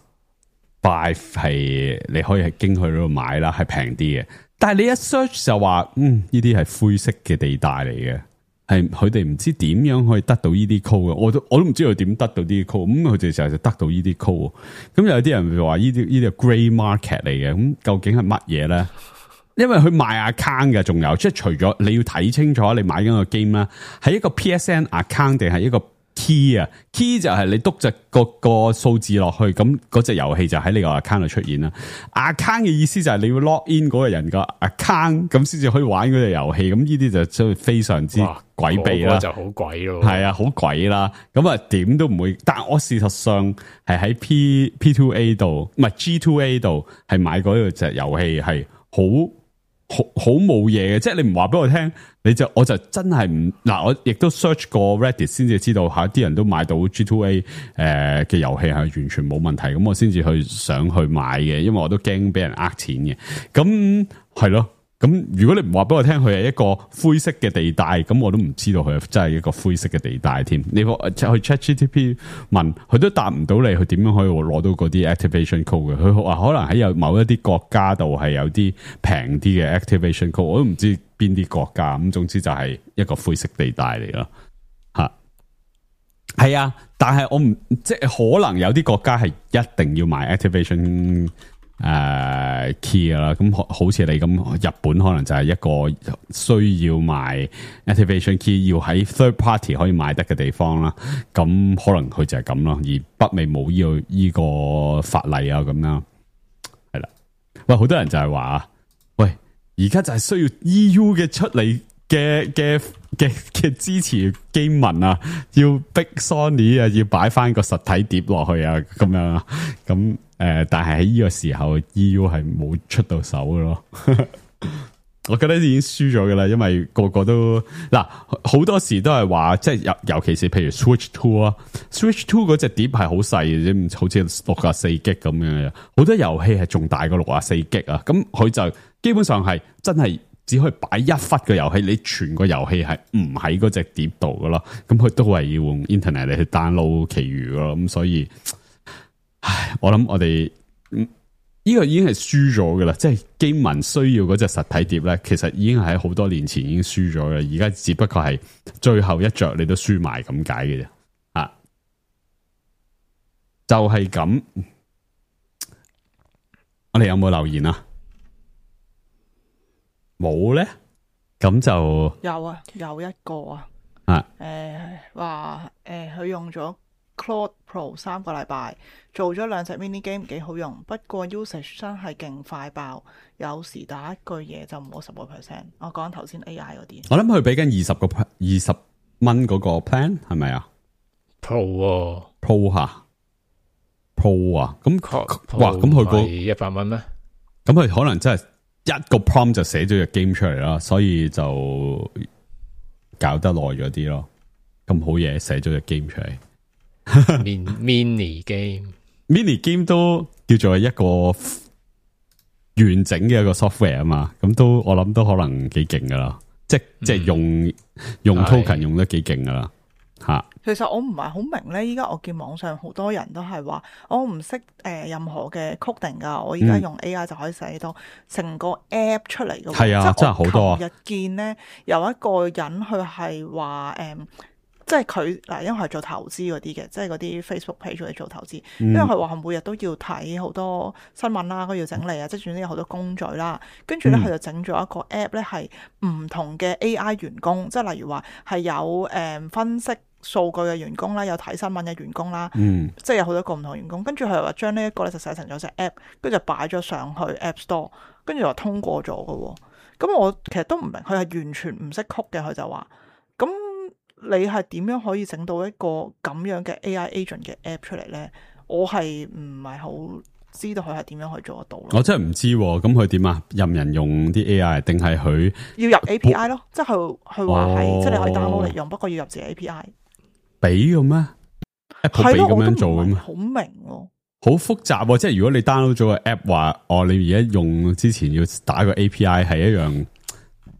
five 係你可以係經佢嗰度買啦，係平啲嘅。但係你一 search 就話，嗯，呢啲係灰色嘅地帶嚟嘅。係佢哋唔知點樣可以得到呢啲 code 嘅，我都我都唔知道點得到呢啲 code，咁佢哋就係得到呢啲 code，咁有啲人會話呢啲呢啲係 grey market 嚟嘅，咁究竟係乜嘢咧？因為佢賣 account 嘅，仲有即係除咗你要睇清楚你買緊個 game 啦，係一個 P S N account 定係一個 key 啊 ？key 就係你篤隻個個數字落去，咁嗰隻遊戲就喺你個 account 度出現啦。account 嘅意思就係你要 log in 嗰個人個 account，咁先至可以玩嗰隻遊戲。咁呢啲就真係非常之詭秘啦，
就好鬼咯。
係啊，好鬼啦。咁啊，點都唔會。但係我事實上係喺 P P two A 度，唔係 G two A 度，係買嗰隻遊戲係好。好好冇嘢嘅，即係你唔話俾我聽，你就我就真係唔嗱，我亦都 search 過 Reddit 先至知道吓，啲人都買到 G two A 誒嘅遊戲係完全冇問題，咁我先至去想去買嘅，因為我都驚俾人呃錢嘅，咁係咯。咁如果你唔話俾我聽佢係一個灰色嘅地帶，咁我都唔知道佢真係一個灰色嘅地帶添。你去 ChatGPT 問佢都答唔到你，佢點樣可以攞到嗰啲 activation code 嘅？佢話可能喺有某一啲國家度係有啲平啲嘅 activation code，我都唔知邊啲國家。咁總之就係一個灰色地帶嚟咯。吓，係啊，但係我唔即係可能有啲國家係一定要買 activation。誒、uh, key 啦，咁好似你咁，日本可能就係一個需要賣 activation key，要喺 third party 可以買得嘅地方啦。咁可能佢就係咁咯，而北美冇呢個呢個法例啊，咁樣係啦。喂，好多人就係話，喂，而家就係需要 E U 嘅出嚟嘅嘅嘅嘅支持機民啊，要逼 Sony 啊，要擺翻個實體碟落去啊，咁樣啊，咁。誒、呃，但係喺呢個時候 ，E U 係冇出到手嘅咯。我覺得已經輸咗嘅啦，因為個個都嗱，好多時都係話，即係尤尤其是譬如 Switch Two 啊 ，Switch Two 嗰隻碟係好細嘅啫，好似六十四 G 咁樣，好多遊戲係仲大過六十四 G 啊。咁佢就基本上係真係只可以擺一忽嘅遊戲，你全個遊戲係唔喺嗰隻碟度嘅咯。咁佢都係要用 Internet 嚟去 download 其餘嘅咯。咁所以。唉，我諗我哋呢個已經係輸咗噶啦，即係機民需要嗰隻實體碟咧，其實已經係喺好多年前已經輸咗啦，而家只不過係最後一着你都輸埋咁解嘅啫，啊，就係、是、咁。我哋有冇留言啊？冇咧，咁就
有啊，有一個啊，
啊，
誒話誒佢用咗 Claude Pro 三個禮拜，做咗兩隻 mini game 幾好用，不過 usage 真係勁快爆，有時打一句嘢就冇十個 percent。我講頭先 A I 嗰啲，
我諗佢俾緊二十個二十蚊嗰個 plan 係咪啊
？Pro
Pro 吓 Pro 啊，咁哇，咁佢個
一百蚊咩？
咁佢可能真係一個 prompt 就寫咗隻 game 出嚟啦，所以就搞得耐咗啲咯。咁好嘢，寫咗隻 game 出嚟。
mini game，mini
game 都叫做一個完整嘅一個 software 啊嘛，咁都我諗都可能幾勁噶啦，即係、嗯、即係用用 token 用得幾勁噶啦吓。
其實我唔係好明咧，依家我見網上好多人都係話我唔識誒任何嘅 coding 噶，我而家用 A I 就可以寫到成個 app 出嚟噶。係、嗯、啊，真係好多啊！琴日見咧有一個人佢係話誒。即係佢嗱，因為係做投資嗰啲嘅，即係嗰啲 Facebook page 嚟做投資。嗯、因為佢話每日都要睇好多新聞啦，佢要整理啊，即係總之有好多工序啦。跟住咧，佢就整咗一個 app 咧，係唔同嘅 A I 員工，即係例如話係有誒、嗯、分析數據嘅員工啦，有睇新聞嘅員工啦，
嗯、
即係有好多個唔同員工。跟住佢又話將呢一個咧就寫成咗隻 app，跟住就擺咗上去 App Store，跟住又通過咗嘅。咁我其實都唔明，佢係完全唔識曲嘅，佢就話咁。你係點樣可以整到一個咁樣嘅 A I agent 嘅 app 出嚟咧？我係唔係好知道佢係點樣去做得到咯。
我真係唔知，咁佢點啊？任人用啲 A I 定係佢
要入 A P I 咯？即係佢佢話係，即係你可以 download 嚟用，不過要入自己 A P I。俾
嘅咩 ？Apple 俾咁樣做嘅咩？
好明喎，
好複雜喎！即係如果你 download 咗個 app 話，哦，你而家用之前要打個 A P I 係一樣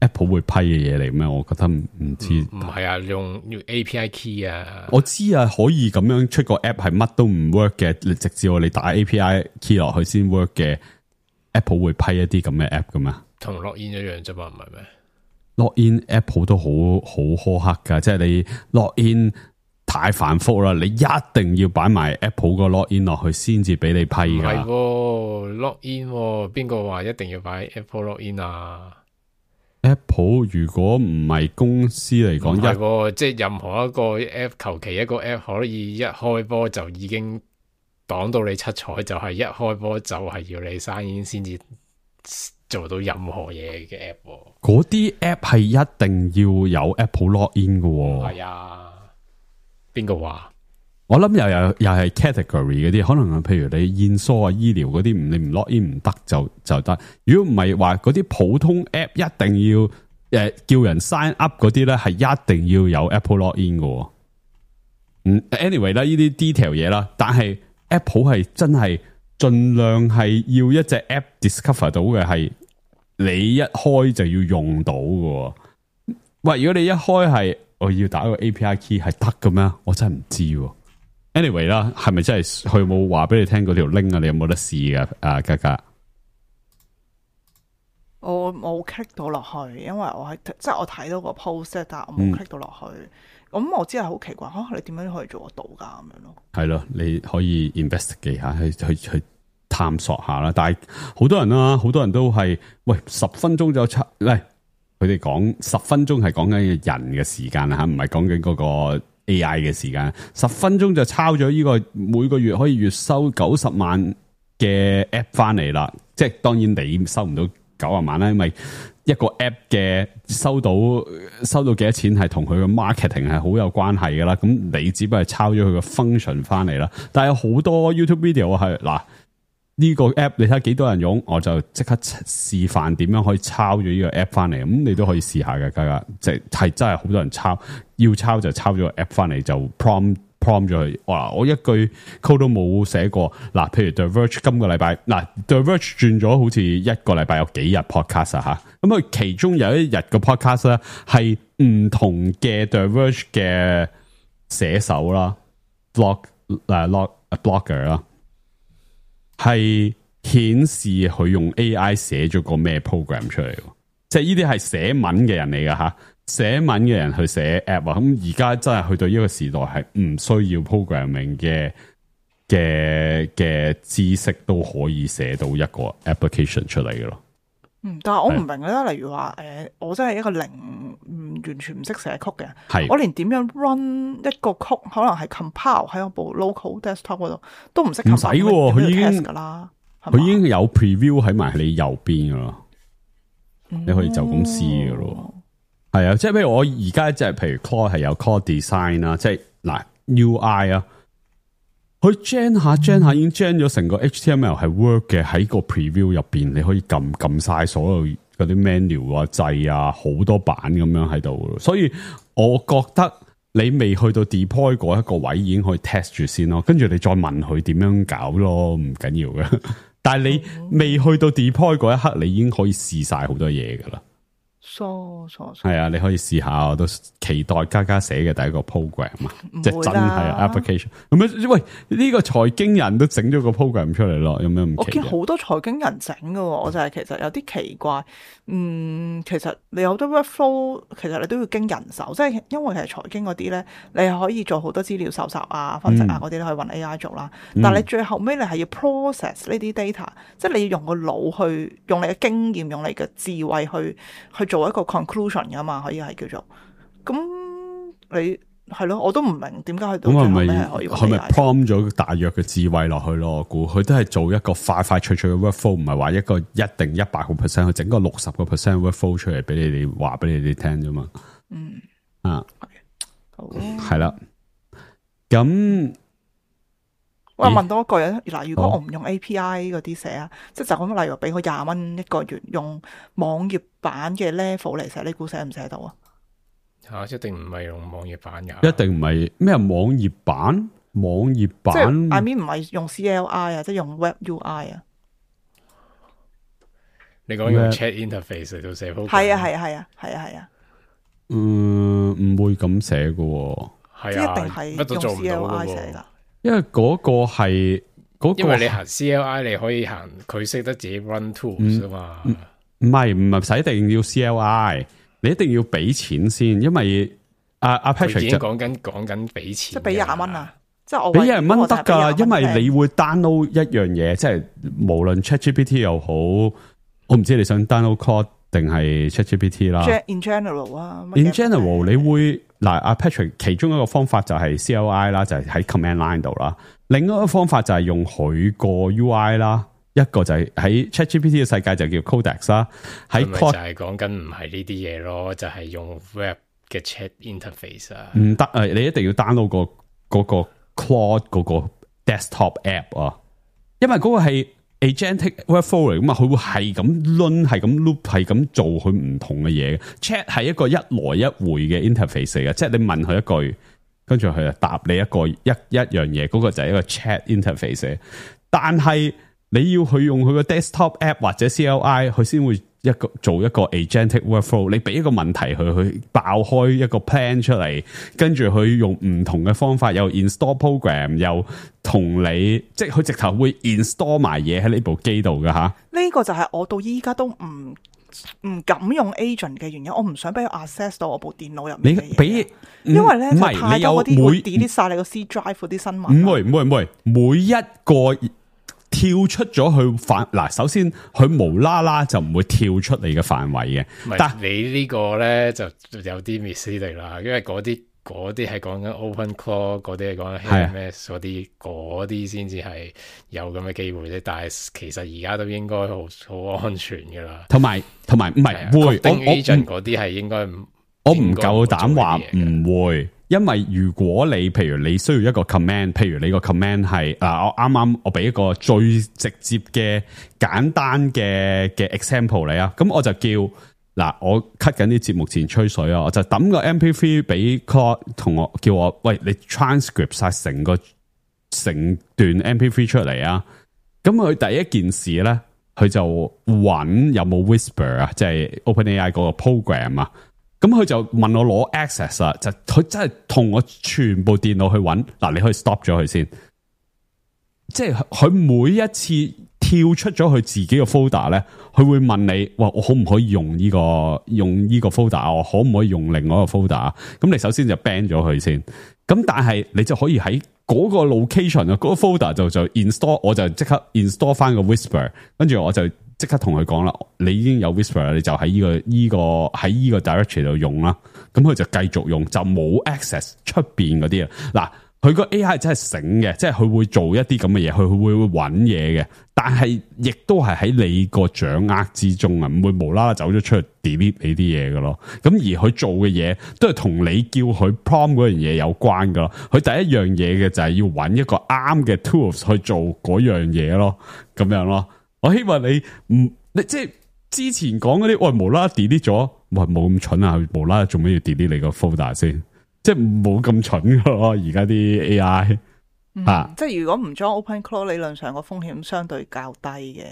Apple 會批嘅嘢嚟咩？我覺得唔知。
唔係啊，用用 A P I key 啊。
我知啊，可以咁樣出個 app 係乜都唔 work 嘅，你直至我你打 A P I key 落去先 work 嘅 Apple 會批一啲咁嘅 app 噶嘛？
同 login 一樣啫嘛，唔係咩
？login Apple 都好好苛刻噶，即係你 login 太繁複啦，你一定要擺埋 Apple 個 login 落去先至俾你批噶。
唔係喎 login 邊個話一定要擺 Apple login 啊？
Apple 如果唔係公司嚟講，
係即係任何一個 app， 求其一個 app 可以一開波就已經擋到你七彩，就係、是、一開波就係要你sign in先至做到任何嘢嘅 app。
嗰啲 app 係一定要有 Apple login 嘅。
係啊。邊個話？
我諗又又又係 category 嗰啲，可能譬如你驗疏啊、醫療嗰啲，唔你唔 login 唔得就就得。如果唔係話嗰啲普通 app 一定要誒、呃、叫人 sign up 嗰啲咧，係一定要有 Apple login 嘅。嗯 ，anyway 啦，呢啲 detail 嘢啦，但係 Apple 係真係盡量係要一隻 app discover 到嘅係你一開就要用到嘅。喂，如果你一開係我要打個 A P I key 係得嘅咩？我真係唔知。Anyway 啦，係咪真係佢冇話俾你聽嗰條 link 啊？你有冇得試噶？啊，嘉嘉，
我冇 click 到落去，因為我係即係我睇到個 post， 但係我冇 click 到落去。咁、嗯、我真係好奇怪，吓、啊、你點樣可以做得到噶咁樣咯？係
咯，你可以 investigate 下，去去去探索下啦。但係好多人啦，好多人都係喂十分鐘就出嚟。佢哋講十分鐘係講緊人嘅時間吓，唔係講緊嗰個 A I 嘅時間。十分鐘就抄咗呢個每個月可以月收九十萬嘅 app 翻嚟啦。即係當然你收唔到九十萬啦，因為一個 app 嘅收到收到幾多錢係同佢嘅 marketing 係好有關係噶啦。咁你只不過係抄咗佢個 function 翻嚟啦。但係有好多 YouTube video 係嗱。呢個 app 你睇幾多人用，我就即刻示範點樣可以抄咗呢個 app 翻嚟。咁你都可以試下嘅，家家即係真係好多人抄，要抄就抄咗個 app 翻嚟就 prom prom 咗佢。哇！我一句 code 都冇寫過。嗱，譬如 The Verge 今個禮拜，嗱 The Verge 轉咗好似一個禮拜有幾日 podcast 啊吓。咁佢其中有一日嘅 podcast 咧係唔同嘅 The Verge 嘅寫手啦 ，blog 誒 blog blogger 啦。係顯示佢用 A I 寫咗個咩 program 出嚟，即係呢啲係寫文嘅人嚟噶吓，寫文嘅人去寫 app 啊。咁而家真係去到呢個時代，係唔需要 programming 嘅嘅嘅知識都可以寫到一個 application 出嚟嘅咯。
嗯，但係我唔明咧，例如話誒、呃，我真係一個零唔完全唔識寫曲嘅，係我連點樣 run 一個曲，可能係 compile 喺我部 local desktop 嗰度都唔識。唔使喎，佢已經噶啦，
佢已經有 preview 喺埋你右邊噶咯，你可以就咁試噶咯。係、嗯、啊，即係譬如我而家即係譬如 Claude 係有 Claude Design 啦，即係嗱 U I 啊。佢 gen 下 gen 下已經 gen 咗成個 H T M L 係 work 嘅，喺個 preview 入邊，你可以撳撳晒所有嗰啲 menu 啊掣啊，好多版咁樣喺度。所以我覺得你未去到 deploy 嗰一個位，已經可以 test 住先咯。跟住你再問佢點樣搞咯，唔緊要嘅。但係你未去到 deploy 嗰一刻，你已經可以試晒好多嘢噶啦。
疏疏
係啊，你可以試下，我都期待嘉嘉寫嘅第一個 program 啊，即係真係 application。咁樣喂，呢、這個財經人都整咗個 program 出嚟咯，有咩唔奇？
我見好多財經人整㗎，我就係其實有啲奇怪。嗯，其實你有好多 workflow，其實你都要經人手，即係因為其實財經嗰啲咧，你係可以做好多資料搜集啊、分析啊嗰啲，你可以搵 A I 做啦。嗯、但係你最後尾你係要 process 呢啲 data，即係你要用個腦去，用你嘅經驗，用你嘅智慧去去做一個 conclusion 噶嘛，可以係叫做。咁你係咯，我都唔明點解去到最後尾係可以。
佢咪 prompt 咗大約嘅智慧落去咯？我估佢都係做一個快快脆脆嘅 workflow，唔係話一個一定一百個 percent，去整個六十個 percent workflow 出嚟俾你哋話俾你哋聽啫嘛。
嗯
啊，
好
係啦。咁
我問多一句啊，嗱，如果我唔用 A P I 嗰啲寫啊，即係就咁，例如俾我廿蚊一個月用網頁版嘅 level 嚟寫，你估寫唔寫到啊？
吓，一定唔係用網頁版噶，
一定唔係咩網頁版？網頁版
即係 I mean 唔係用 C L I 啊，即係用 Web U I 啊。
你講用 Chat Interface 嚟到寫 program？
係啊係啊係啊係啊係啊。
嗯，唔會咁寫嘅，
係啊，
一定係用 C L I 寫噶。
因為嗰個係嗰個，
因為你行 C L I 你可以行佢識得自己 run tools 啊嘛。
唔係唔係使一定要 C L I， 你一定要俾錢先，因為阿阿 Patrick
已經講緊講緊俾錢，
即係俾廿蚊啊！即係我
俾廿蚊得噶，因為你會 download 一樣嘢，即係無論 ChatGPT 又好，我唔知你想 download Claude 定係 ChatGPT 啦。
In general 啊
，in general 你會嗱阿 Patrick 其中一個方法就係 C L I 啦，就係喺 command line 度啦。另一個方法就係用佢個 U I 啦，一個就係喺 ChatGPT 嘅世界就叫 Codex 啦。喺
Claude 就係講緊唔係呢啲嘢咯，就係、是、用 Web 嘅 Chat Interface 啊。唔
得啊！你一定要 download 個嗰個 Claude 嗰個 desktop app 啊，因為嗰個係 agentic workflow 嚟噶嘛，佢會係咁 run 係咁 loop 係咁做佢唔同嘅嘢。Chat 係一個一來一回嘅 interface 嚟嘅，即係你問佢一句，跟住佢就答你一個一一樣嘢，嗰、嗰個就係一個 chat interface。但係你要去用佢個 desktop app 或者 C L I， 佢先會一個做一個 agentic workflow。你俾一個問題佢，去爆開一個 plan 出嚟，跟住佢用唔同嘅方法，又 install program，又同你，即係佢直頭會 install 埋嘢喺呢部機度㗎吓。
呢個就係我到依家都唔唔敢用 agent 嘅原因，我唔想俾佢 access 到我部電腦入面嘅嘢。你俾，
因
為咧太多嗰啲會 delete 晒你個 C drive 嗰啲新聞。
唔會唔會唔會，每一個跳出咗去範嗱，首先佢無啦啦就唔會跳出你嘅範圍嘅。
但你呢個咧就有啲 misleading 啦，因為嗰啲嗰啲係講緊 OpenClaw， 嗰啲係講緊 H M S 嗰啲，嗰啲先至係有咁嘅機會啫。但係其實而家都應該好好安全噶啦。同埋同埋唔係會，我 agent 嗰啲係應該唔，
我唔夠膽話唔會。因為如果你譬如你需要一個 command， 譬如你個 command 係嗱，我啱啱我俾一個最直接嘅簡單嘅嘅 example 你啊，咁我就叫嗱，我 cut 緊啲節目前吹水啊，我就抌個 M P 三 俾 Claude 同我叫我喂，你 transcript 晒成個成段 M P 三出嚟啊，咁佢第一件事咧，佢就揾有冇 Whisper 啊，即係 OpenAI 嗰個 program 啊。咁佢就問我攞 access 啊，就佢真係同我全部電腦去揾嗱，你可以 stop 咗佢先，即係佢每一次跳出咗佢自己嘅 folder 咧，佢會問你，哇，我可唔可以用呢個用呢個 folder？我可唔可以用另外一個 folder？咁你首先就 ban 咗佢先，咁但係你就可以喺嗰個 location 啊，嗰個 folder 就就 install， 我就即刻 install 翻個 Whisper， 跟住我就即刻同佢講啦，你已經有 Whisper， 你就喺呢、這個呢、這個喺呢個 directory 度用啦。咁佢就繼續用，就冇 access 出邊嗰啲啊。嗱，佢個 A I 真係醒嘅，即係佢會做一啲咁嘅嘢，佢會會揾嘢嘅。但係亦都係喺你個掌握之中啊，唔會無啦啦走咗出去 delete 你啲嘢嘅咯。咁而佢做嘅嘢都係同你叫佢 prompt 嗰樣嘢有關噶咯。佢第一樣嘢嘅就係要揾一個啱嘅 tools 去做嗰樣嘢咯，咁樣咯。我希望你唔你即係之前講嗰啲，喂無啦啦 delete 咗，喂冇咁蠢啊！無啦啦做咩要 delete 你個 folder 先？即係冇咁蠢噶咯，而家啲 A I、
嗯、啊，即係如果唔裝 OpenClaw， 理論上個風險相對較低嘅。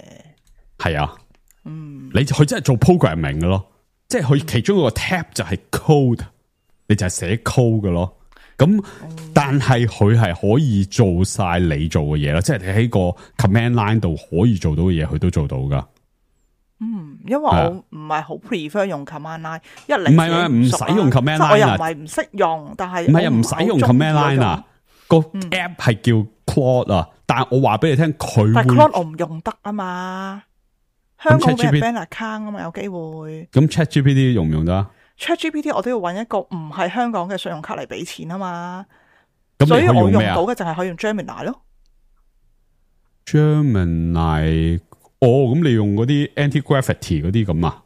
係
啊，
嗯，
你佢真係做 programming 嘅咯，即係佢其中一個 tab 就係 code，你就係寫 code 嘅咯。咁，但係佢係可以做晒你做嘅嘢啦，即係你喺個 command line 度可以做到嘅嘢，佢都做到噶。
嗯，因為我唔係好 prefer 用 command line，一嚟唔
係唔使用 command line，
我又唔係唔識用，但係
唔係唔使用 command line 啊。個 app 係叫 Claude 啊，但係我話俾你聽，佢
但係 Claude 我唔用得啊嘛，香港俾人 ban account 啊嘛，有機會。
咁 ChatGPT 用唔用得
？ChatGPT 我都要揾一個唔係香港嘅信用卡嚟俾錢啊嘛，
咁
所以我用到嘅就係可以用 Gemini 咯。
Gemini 哦，咁你用嗰啲 anti-gravity 嗰啲咁啊？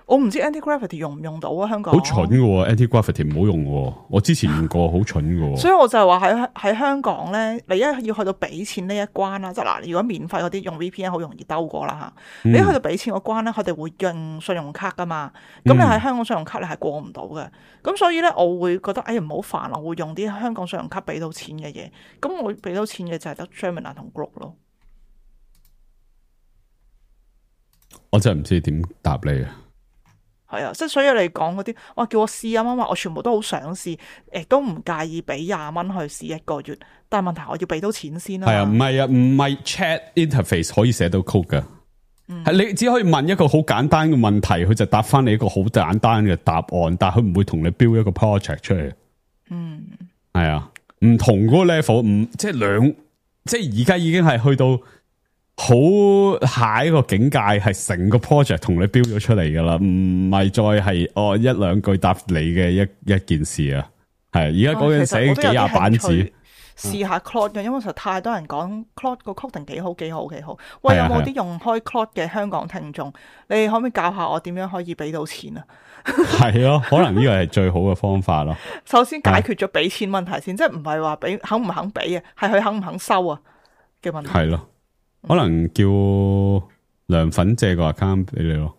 我唔知 anti-gravity 用唔用到啊，香港
好蠢嘅喎 ，anti-gravity 唔好用嘅，我之前用過，好蠢嘅。
所以我就係話喺喺香港咧，你一要去到俾錢呢一關啦，即係嗱，如果免費嗰啲用 V P N 好容易兜過啦嚇，你一去到俾錢嗰關咧，佢哋會用信用卡噶嘛，咁你喺香港信用卡你係過唔到嘅，咁所以咧我會覺得哎呀唔好煩，我會用啲香港信用卡俾到錢嘅嘢，咁我俾到錢嘅就係得 Gemini 同 Grok 咯。
我真係唔知點答你啊！
係啊，即係所以你講嗰啲，哇叫我試啊媽媽，我全部都好想試，亦都唔介意俾廿蚊去試一個月，但係問題我要俾到錢先啦。係
啊，唔係啊，唔係 chat interface 可以寫到 code 噶，係、嗯、你只可以問一個好簡單嘅問題，佢就答翻你一個好簡單嘅答案，但係佢唔會同你 build 一個 project 出嚟。嗯，係啊，唔同嗰個 level，唔即係兩，即係而家已經係去到。好下一個境界係成個 project 同你標咗出嚟噶啦，唔係再係哦一兩句答你嘅一一件事啊，係而家嗰陣寫幾廿版紙，試下 Claude 嘅，因為實在太多人講 Claude 個 coding 幾好幾好幾好，喂，有冇啲用開 Claude 嘅香港聽眾？你可唔可以教下我點樣可以俾到錢啊？係咯，可能呢個係最好嘅方法咯。
首先解決咗俾錢問題先，即係唔係話俾肯唔肯俾啊，係佢肯唔肯收啊嘅問題。係咯。
可能叫涼粉借個 account 俾你咯，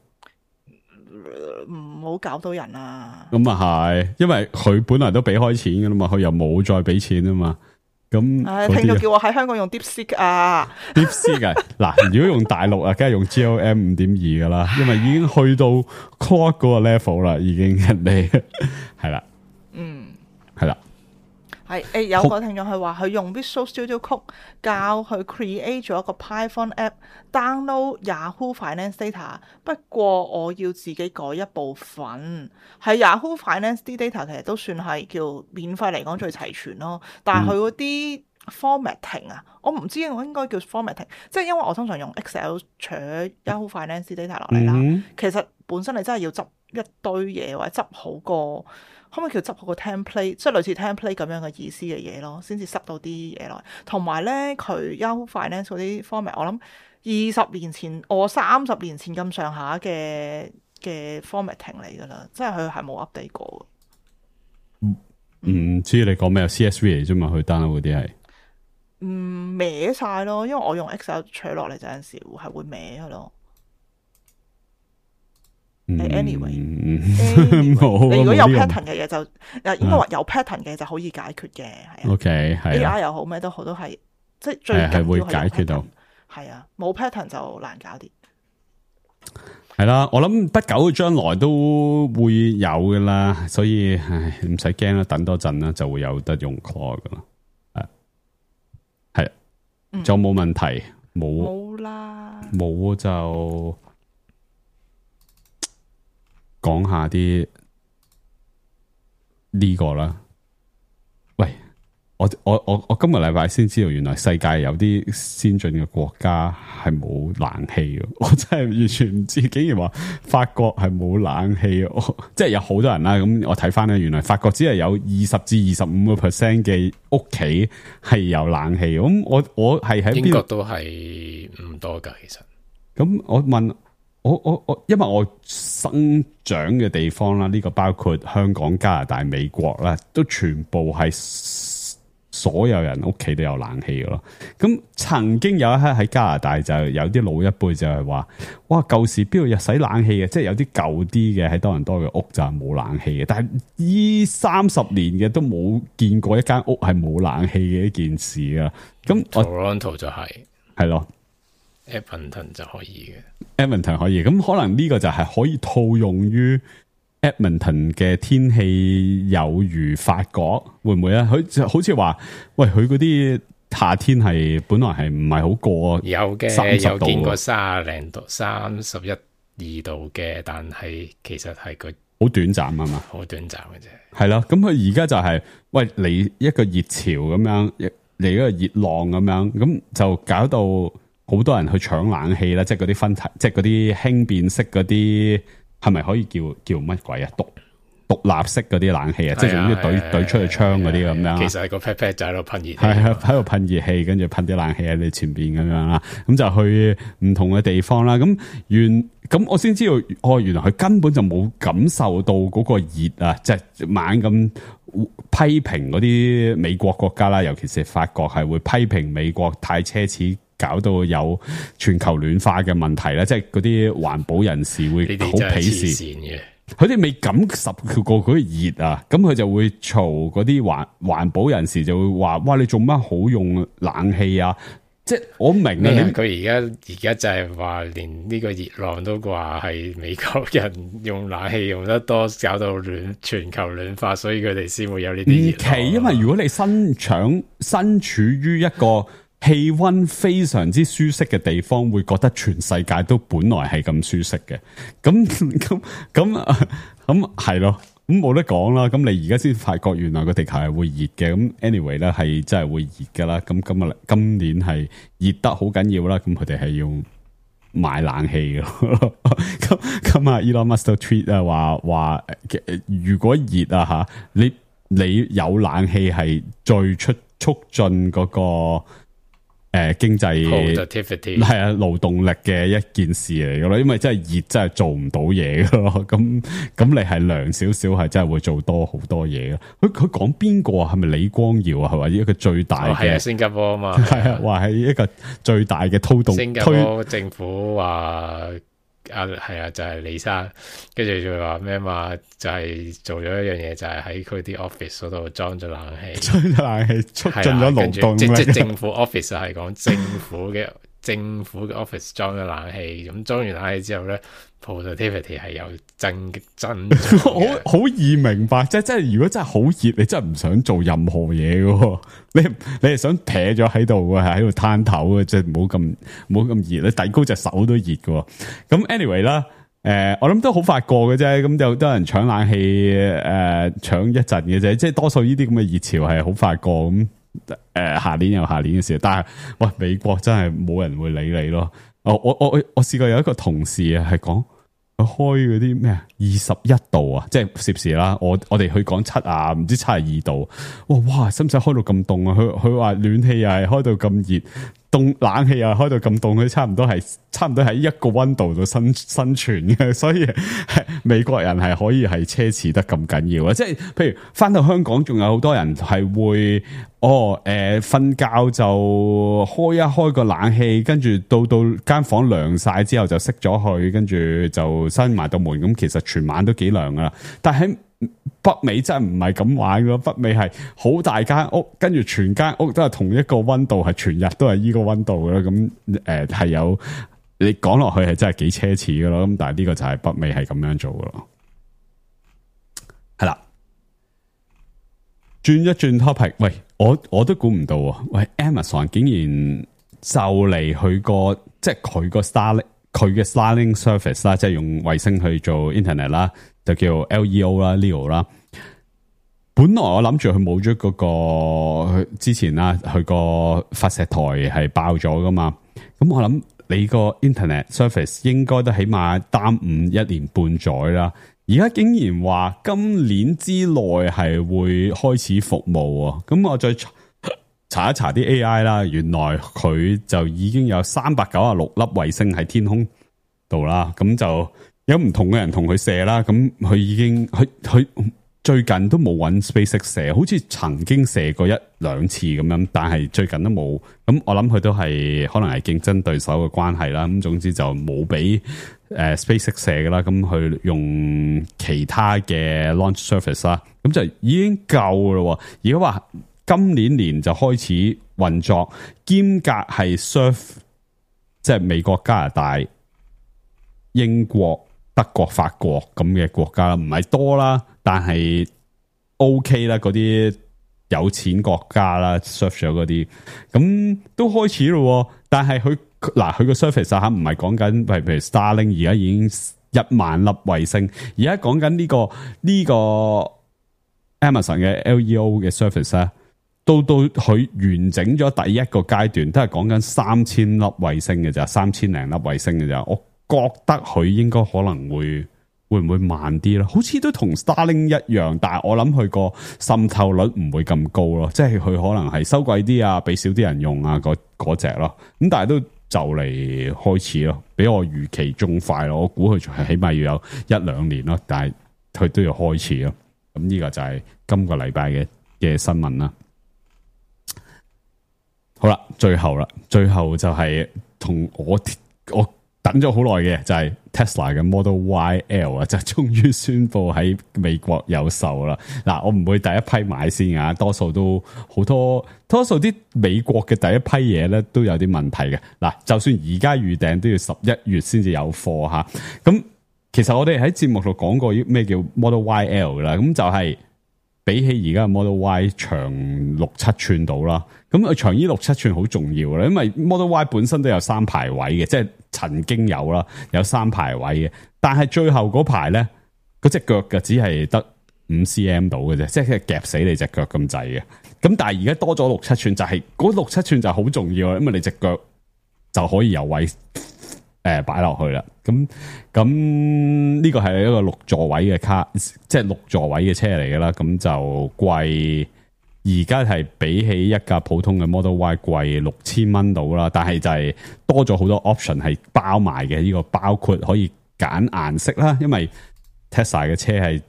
唔好搞到人啊！
咁啊係，因為佢本來都俾開錢噶啦嘛，佢又冇再俾錢啊嘛。咁，
唉，聽到叫我喺香港用 DeepSeek 啊
，DeepSeek 啊，嗱，如果用大陸啊，梗係用 G L M 五點二噶啦，因為已經去到 Claude 嗰個 level 啦，已經人哋係啦，嗯，係啦。
係誒，有個聽眾係話佢用 Visual Studio Code 教佢 create 咗一個 Python app download Yahoo Finance data， 不過我要自己改一部分。係 Yahoo Finance 啲 data 其實都算係叫免費嚟講最齊全咯，但係佢嗰啲 formatting 啊，我唔知我應該叫 formatting， 即係因為我通常用 Excel 取 Yahoo Finance data 落嚟啦，嗯、其實本身你真係要執一堆嘢或者執好個。可唔可以叫執好個 template， 即係類似 template 咁樣嘅意思嘅嘢咯，先至塞到啲嘢落。同埋咧，佢 Yahoo Finance 嗰啲 format， 我諗二十年前，我三十年前咁上下嘅嘅 formatting 嚟噶啦，即係佢係冇 update 過嘅。唔、
嗯、知你講咩 C S V 嚟啫嘛？佢 download 嗰啲係
嗯歪晒咯，因為我用 Excel 取落嚟就有陣時係會歪嘅咯。Anyway，, anyway 你如果有 pattern 嘅嘢就，誒應該話有 pattern 嘅就可以解決嘅，係啊。
OK， 係
A I 又好咩都好，都係即係最緊要係會解決到。係啊，冇 pattern 就難搞啲。
係啦，我諗不久嘅將來都會有噶啦，所以唉唔使驚啦，等多陣啦就會有得用 Claude 噶啦。係係，仲有冇問題？冇
冇啦，
冇就。講下啲呢個啦，喂，我我我我今個禮拜先知道，原來世界有啲先進嘅國家係冇冷氣嘅，我真係完全唔知，竟然話法國係冇冷氣，即係有好多人啦。咁我睇翻咧，原來法國只係有二十至二十五個 percent 嘅屋企係有冷氣。咁我我係喺
英國都係唔多噶，其實。咁
我問。我我我，因為我生長嘅地方啦，呢、這個包括香港、加拿大、美國啦，都全部係所有人屋企都有冷氣嘅咯。咁曾經有一刻喺加拿大就有啲老一輩就係話，哇，舊時邊度又使冷氣嘅？即係有啲舊啲嘅喺多倫多嘅屋就係冇冷氣嘅。但係依三十年嘅都冇見過一間屋係冇冷氣嘅一件事啊。咁
Toronto 就係
係咯。
Edmonton 就可以
嘅 Edmonton 可以，咁可能呢個就係可以套用於 Edmonton 嘅天氣有如法國，會唔會咧？佢好似話，喂，佢嗰啲夏天係本來係唔係好過
有嘅，有見過三十零度、三十一二度嘅，但係其實係個
好短暫啊嘛，
好短暫嘅啫。
係咯，咁佢而家就係、是、喂嚟一個熱潮咁樣，嚟一個熱浪咁樣，咁就搞到。好多人去搶冷氣啦，即係嗰啲分體，即係嗰啲輕便式嗰啲，係咪可以叫叫乜鬼啊？獨獨立式嗰啲冷氣啊，即係總之懟懟出去窗嗰啲咁樣。
其實係個 pat pat 就喺度噴熱氣，
係喺度噴熱氣，跟住噴啲冷氣喺你前邊咁樣啦。咁就去唔同嘅地方啦。咁原咁我先知道，哦，原來佢根本就冇感受到嗰個熱啊，即係猛咁批評嗰啲美國國家啦，尤其是法國係會批評美國太奢侈，搞到有全球暖化嘅問題咧，即係嗰啲環保人士會好鄙視嘅。佢哋未感受過嗰個熱啊，咁佢就會嘈嗰啲環環保人士就會話：哇，你做乜好用冷氣啊？即係我明啊，
佢而家而家就係話，連呢個熱浪都話係美國人用冷氣用得多，搞到暖全球暖化，所以佢哋先會有呢啲熱浪。
唔奇，因為如果你身長身處於一個氣溫非常之舒適嘅地方，會覺得全世界都本來係咁舒適嘅。咁咁咁咁係咯。咁冇得講啦，咁你而家先發覺原來個地球係會熱嘅，咁 anyway 咧係真係會熱噶啦，咁今日今年係熱得好緊要啦，咁佢哋係要買冷氣嘅，咁咁啊 Elon Musk tweet 啊話話，如果熱啊吓，你你有冷氣係最出促進嗰個。誒、呃，經濟係啊，勞動力嘅一件事嚟噶咯，因為真係熱，真係做唔到嘢噶咯。咁咁你係涼少少，係真係會做多好多嘢噶。佢佢講邊個啊？係咪李光耀啊？係咪一個最大嘅？係、哦、啊，
新加坡啊嘛。
係啊，話係一個最大嘅推動。
新加坡政府話啊，係啊，就係、是、李生，跟住就話咩嘛？就係、是、做咗一樣嘢，就係喺佢啲 office 嗰度裝咗冷氣，裝咗冷氣促進咗勞動。即即政府 office 係講政府嘅政府嘅 office 裝咗冷氣，咁裝完冷氣之後咧 ，productivity 係有增增長。
好好易明白，即係即係如果真係好熱，你真係唔想做任何嘢嘅，你你係想撇咗喺度嘅，係喺度攤頭嘅，即係唔好咁唔好咁熱，你遞高隻手都熱嘅。咁 anyway 啦。誒、呃，我諗都好快過嘅啫，咁就多人搶冷氣，誒、呃，搶一陣嘅啫，即係多數呢啲咁嘅熱潮係好快過，咁誒，下年有下年嘅事，但係喂，美國真係冇人會理你咯。我我我我試過有一個同事啊，係講佢開嗰啲咩啊，二十一度啊，即係攝氏啦，我我哋去講七啊，唔知七十二度，哇哇，使唔使開到咁凍啊？佢佢話暖氣又係開到咁熱。凍冷氣啊，開到咁凍，佢差唔多係差唔多喺一個溫度度生生存嘅，所以美國人係可以係奢侈得咁緊要啊！即係譬如翻到香港，仲有好多人係會哦誒瞓、呃、覺就開一開個冷氣，跟住到到間房涼晒之後就熄咗佢，跟住就閂埋道門，咁其實全晚都幾涼噶啦。但係北美真係唔係咁玩嘅，北美係好大間屋，跟住全間屋都係同一個溫度，係全日都係呢個溫度嘅啦。咁誒係有你講落去係真係幾奢侈嘅咯。咁但係呢個就係北美係咁樣做嘅咯。係啦，轉一轉 topic，喂，我我都估唔到啊！喂 ，Amazon 竟然就嚟佢個即係佢個 Starlink 佢嘅 Starlink service 啦，即係用衛星去做 internet 啦。就叫 L E O 啦 ，Leo 啦。本來我諗住佢冇咗嗰個之前啦，佢個發射台係爆咗噶嘛。咁我諗你個 Internet Service 應該都起碼耽誤一年半載啦。而家竟然話今年之內係會開始服務啊！咁我再查一查啲 A I 啦，原來佢就已經有三百九十六粒衛星喺天空度啦。咁就有唔同嘅人同佢射啦，咁佢已經佢佢最近都冇揾 SpaceX 射，好似曾經射過一兩次咁樣，但係最近都冇。咁我諗佢都係可能係競爭對手嘅關係啦。咁總之就冇俾誒 SpaceX 射噶啦，咁佢用其他嘅 launch service 啦，咁就已經夠啦。而家話今年年就開始運作，兼隔係 serve 即係美國、加拿大、英國、德國、法國咁嘅國家啦，唔係多啦，但係 OK 啦，嗰啲有錢國家啦 serve 咗嗰啲，咁都開始咯。但係佢嗱佢個 service 吓唔係講緊，譬如 Starlink 而家已經一萬粒衛星，而家講緊呢個呢個 Amazon 嘅 L E O 嘅 service 咧，到到佢完整咗第一個階段，都係講緊三千粒衛星嘅咋，三千零粒衛星嘅咋，我覺得佢應該可能會會唔會慢啲咯？好似都同 Starlink 一樣，但係我諗佢個滲透率唔會咁高咯，即係佢可能係收貴啲啊，俾少啲人用啊，嗰嗰隻咯。咁但係都就嚟開始咯，比我預期仲快咯。我估佢仲係起碼要有一兩年咯，但係佢都要開始咯。咁呢個就係今個禮拜嘅嘅新聞啦。好啦，最後啦，最後就係同我我等咗好耐嘅就係 Tesla 嘅 Model Y L 啊，就終於宣布喺美國有售啦。嗱，我唔會第一批買先啊，多數都好多，多數啲美國嘅第一批嘢咧都有啲問題嘅。嗱，就算而家預訂都要十一月先至有貨吓。咁其實我哋喺節目度講過咩叫 Model Y L 啦，咁就係比起而家嘅 Model Y 長六七寸到啦。咁佢長依六七寸好重要啦，因為 Model Y 本身都有三排位嘅，即係曾經有啦，有三排位嘅。但係最後嗰排咧，嗰隻腳嘅只係得五 cm 到嘅啫，即係夾死你隻腳咁滯嘅。咁但係而家多咗六七寸，就係嗰六七寸就好重要啦，因為你隻腳就可以有位誒擺落去啦。咁咁呢個係一個六座位嘅卡，即係六座位嘅車嚟嘅啦。咁就貴。而家係比起一架普通嘅 Model Y 貴六千蚊到啦，但係就係多咗好多 option 係包埋嘅。呢個包括可以揀顏色啦，因為 Tesla 嘅車係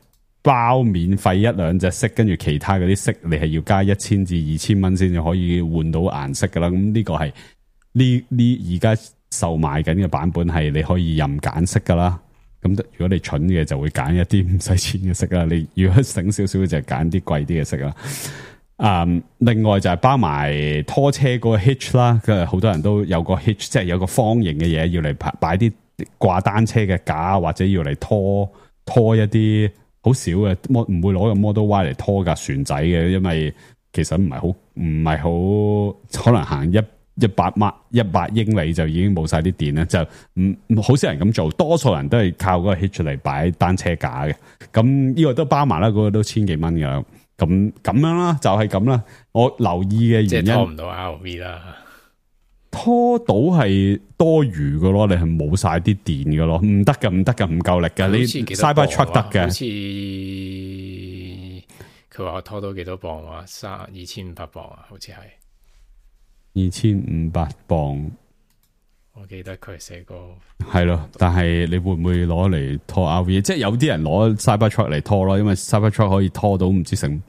包免費一兩隻色，跟住其他嗰啲色你係要加一千至二千蚊先至可以換到顏色噶啦。咁呢個係呢呢而家售賣緊嘅版本係你可以任揀色噶啦。咁如果你蠢嘅就會揀一啲唔使錢嘅色啦，你如果醒少少就揀啲貴啲嘅色啦。嗯，另外就係包埋拖車嗰個 hitch 啦，佢好多人都有個 hitch， 即係有個方形嘅嘢要嚟擺啲掛單車嘅架，或者要嚟拖拖一啲好少嘅，唔會攞個 Model Y 嚟拖架船仔嘅，因為其實唔係好唔係好可能行一一百碼一百英里就已經冇晒啲電啦，就唔好少人咁做，多數人都係靠嗰個 hitch 嚟擺單車架嘅。咁呢個都包埋啦，嗰、嗰個都千幾蚊噶。咁咁樣啦，就係咁啦。我留意嘅原因，
即係拖唔到 R V 啦，
拖到係多餘嘅咯，你係冇晒啲電嘅咯，唔得㗎，唔得㗎，唔夠力㗎。你 Cybertruck 得嘅，
好似佢話我拖到幾多磅啊？三二千五百磅啊，好似係
二千五百磅。
我記得佢寫過
係咯，但係你會唔會攞嚟拖 R V？ 即係有啲人攞 Cybertruck 嚟拖咯，因為 Cybertruck 可以拖到唔知成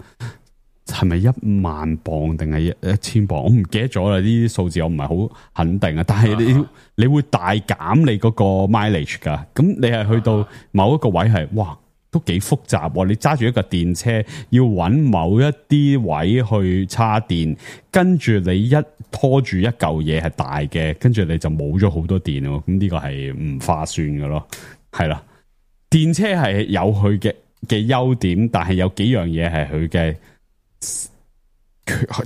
係咪一萬磅定係一一千磅，我唔記得咗啦。呢啲數字我唔係好肯定啊。但係你、啊、你會大減你嗰個 mileage 噶，咁你係去到某一個位係哇，都幾複雜。你揸住一個電車，要揾某一啲位去叉電，跟住你一拖住一嚿嘢係大嘅，跟住你就冇咗好多電咯。咁呢個係唔划算嘅咯。係啦，電車係有佢嘅嘅優點，但係有幾樣嘢係佢嘅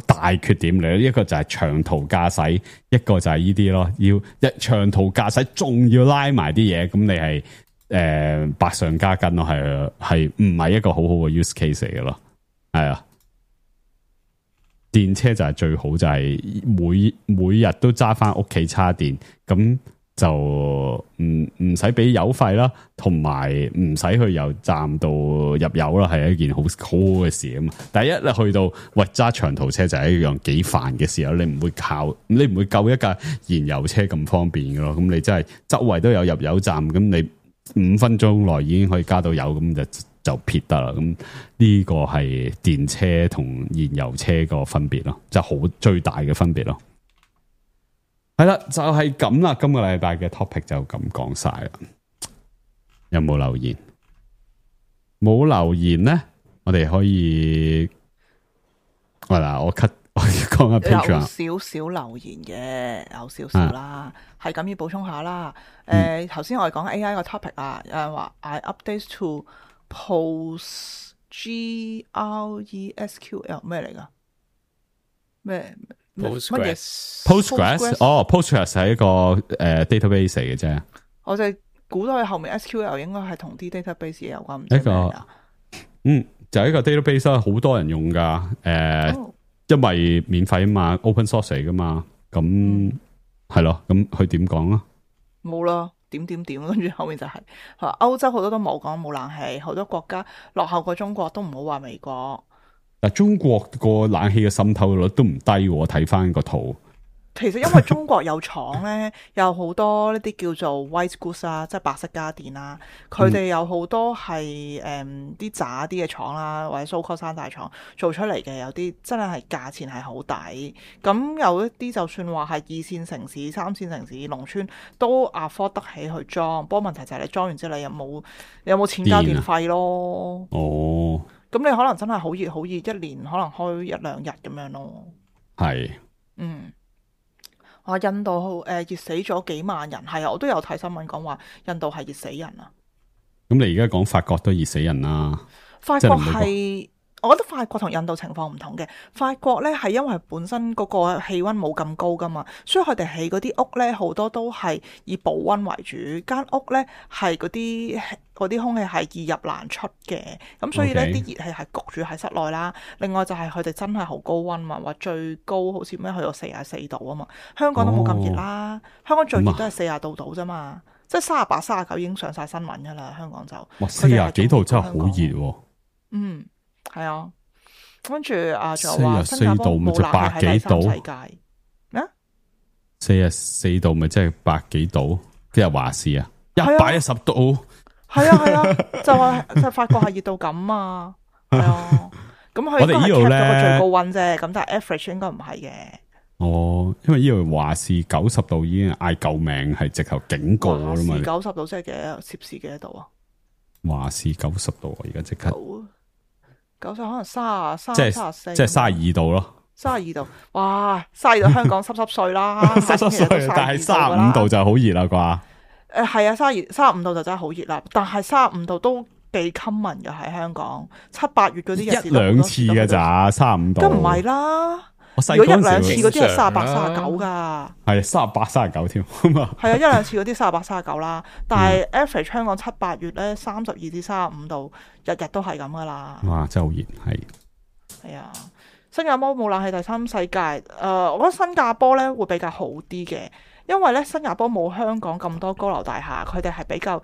大缺點嚟。一個就係長途駕駛，一個就係呢啲咯。要一長途駕駛，仲要拉埋啲嘢，咁你係。誒、呃，百上加斤咯，係係唔係一個好好嘅 use case 嚟嘅咯？係啊，電車就係最好，就係每每日都揸翻屋企叉電，咁就唔唔使俾油費啦，同埋唔使去油站度入油啦，係一件好好好嘅事啊嘛。第一咧去到喂揸長途車就係一樣幾煩嘅事，你唔會靠，你唔會夠一架燃油車咁方便嘅咯。咁你真係周圍都有入油站，咁你。五分鐘內已經可以加到油，咁就就撇得啦。咁呢個係電車同燃油車個分別咯，就好最大嘅分別咯。係啦，就係咁啦。今個禮拜嘅 topic 就咁講晒啦。有冇留言？冇留言咧，我哋可以，喂嗱，我 cut。我講下 Patreon
有少少留言嘅，有少少啦，係咁要補充下啦。誒，頭先我哋講 A I 個 topic 啊，有人話 I update to Post G R E S Q L 咩嚟噶？咩
Postgres
Postgres 哦 Postgres 係一個誒 database 嚟嘅啫。
我就估到佢後面 S Q L 應該係同啲 database 有關，唔
知咩啊？嗯，就係一個 database 好多人用噶，誒。Oh. 因為免費啊嘛 ，open source 嚟噶嘛，咁係咯，咁佢點講啊？
冇啦，點點點，跟住後面就係、是，歐洲好多都冇講冇冷氣，好多國家落後過中國，都唔好話美國。
嗱，中國個冷氣嘅滲透率都唔低，我睇翻個圖，
其實因為中國有廠咧，有好多呢啲叫做 white goods 啊，即係白色家電啦。佢哋有好多係誒啲渣啲嘅廠啦，或者 so-called 山大廠做出嚟嘅，有啲真係係價錢係好抵。咁有一啲就算話係二線城市、三線城市、農村都 afford 得起去裝。不過問題就係你裝完之後，你有冇有冇錢交電費咯？
哦，
咁你可能真係好熱好熱，一年可能開一兩日咁樣咯。
係，
嗯。話印度誒、呃、熱死咗幾萬人，係啊，我都有睇新聞講話印度係熱死人啊。
咁你而家講法國都熱死人啦。
法國係，我覺得法國同印度情況唔同嘅。法國咧係因為本身嗰個氣溫冇咁高噶嘛，所以佢哋起嗰啲屋咧好多都係以保溫為主，間屋咧係嗰啲嗰啲空氣係易入難出嘅，咁所以咧啲
Okay.
熱氣係焗住喺室內啦。另外就係佢哋真係好高溫嘛，話最高好似咩去到四十四度啊嘛，香港都冇咁熱啦，哦、香港最熱都係四十度度啫嘛，即係三十八、三十九已經上晒新聞噶啦，香港就
哇四十幾度真係好熱喎。
嗯，係啊，跟住啊，仲有話新加坡冇
就百幾度
世界咩？
四十四度咪即係百幾度？即係華氏啊，一百一十度。
係啊係啊，就話就係法國係熱到咁啊，係啊。咁佢
我哋呢度咧
個最高溫啫，咁但係 average 應該唔係嘅。
哦，因為呢度華氏九十度已經嗌救命，係直頭警告啦嘛。
九十度即係幾多攝氏幾多度啊？
華氏九十度，而家即刻
九十可能三十三、
即係
三十四，
即係三十二度咯。
三十二度，哇！三十二度香港濕濕碎啦，
濕濕碎，但係三十五度就好熱啦啩。
誒係啊，三十二、三十五度就真係好熱啦，但係三十五度都幾 common 嘅喺香港，七八月嗰啲日子
一兩次嘅咋，三十五度。
咁唔係啦，
我細
如果一兩次嗰啲係三十八、
正常啦
三十九噶，
係三十八、三十九添。
係啊，一兩次嗰啲三十八、三十九啦，但係 average 香港七八月咧三十二至三十五度，日日都係咁噶啦。
哇，真係好熱，係。
係啊，新加坡冇冷氣第三世界，誒、呃，我覺得新加坡咧會比較好啲嘅。因為咧，新加坡冇香港咁多高樓大廈，佢哋係比較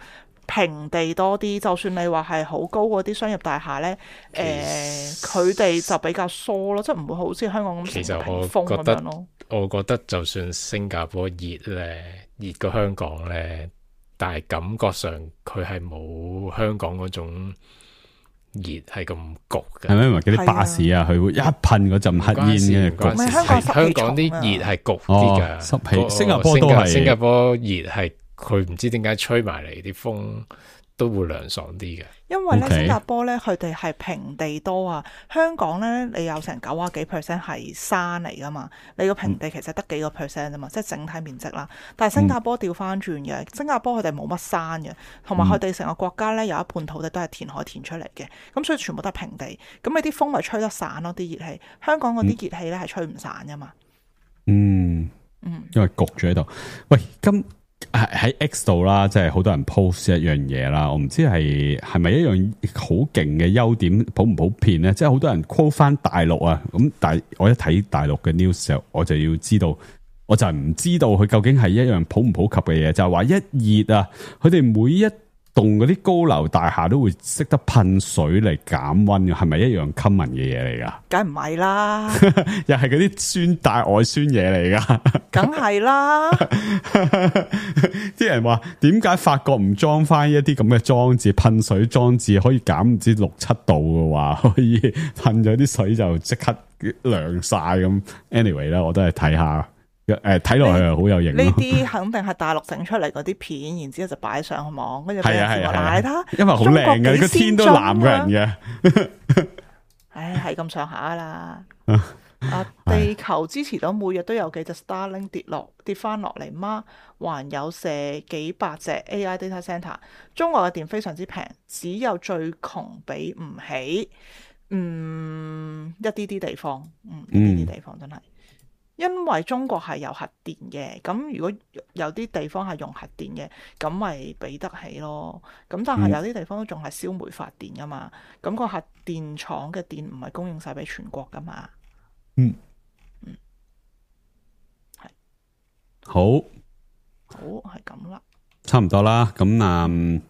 平地多啲。就算你話係好高嗰啲商業大廈咧，誒，佢哋就比較疏咯，即係唔會好似香港咁
其實
屏風咁樣咯。
我覺得就算新加坡熱咧，熱過香港咧，但係感覺上佢係冇香港嗰種熱係咁焗嘅。
係咪因為嗰啲巴士啊，佢會一噴嗰陣黑煙嘅焗？
唔係香港濕氣重啊，
香港啲熱係焗啲㗎，
濕氣。
個
新加坡都係
新加坡熱係佢唔知點解吹埋嚟啲風都會涼爽啲嘅。
因為咧
Okay.
新加坡咧佢哋係平地多啊，香港咧你有成九啊幾 percent 係山嚟噶嘛，你個平地其實得幾個 percent 啫嘛，即係整體面積啦。但係新加坡調翻轉嘅，新加坡佢哋冇乜山嘅，同埋佢哋成個國家咧有一半土地都係填海填出嚟嘅，咁所以全部都係平地。咁你啲風咪吹得散咯，啲熱氣。香港嗰啲熱氣咧係吹唔散噶嘛。
嗯嗯，因為焗住喺度。喂，今喺 X 度啦，即係好多人 post 一樣嘢啦，我唔知係係咪一樣好勁嘅優點普唔普遍咧？即係好多人 call 翻大陸啊，咁但係我一睇大陸嘅 news 時候，我就要知道，我就係唔知道佢究竟係一樣普唔普及嘅嘢，就係話一熱啊，佢哋每一棟嗰啲高樓大廈都會識得噴水嚟減溫嘅，係咪一樣 common 嘅嘢嚟噶？
梗唔係啦，
又係嗰啲酸大外酸嘢嚟噶？
梗係啦。
啲人話點解法國唔裝翻一啲咁嘅裝置，噴水裝置可以減唔知六七度嘅話，可以噴咗啲水就即刻涼晒咁。Anyway 啦，我都係睇下。誒，睇落去係好有型。
呢啲肯定係大陸整出嚟嗰啲片，然之後就擺上網，跟住俾人話睇睇，
因為好靚嘅，個天都藍嘅人嘅。
唉，係咁上下啦。啊，地球支持到每日都有幾隻 Starlink 跌落跌翻落嚟嗎？還有射幾百隻 A I data center。中國嘅電非常之平，只有最窮俾唔起。嗯，一啲啲地方，嗯，一啲啲地方真係。因為中國係有核電嘅，咁如果有啲地方係用核電嘅，咁咪俾得起咯。咁但係有啲地方都仲係燒煤發電噶嘛，咁個核電廠嘅電唔係供應晒俾全國噶嘛。
嗯
嗯，係
好，
好係咁啦，
差唔多啦。咁啊，誒、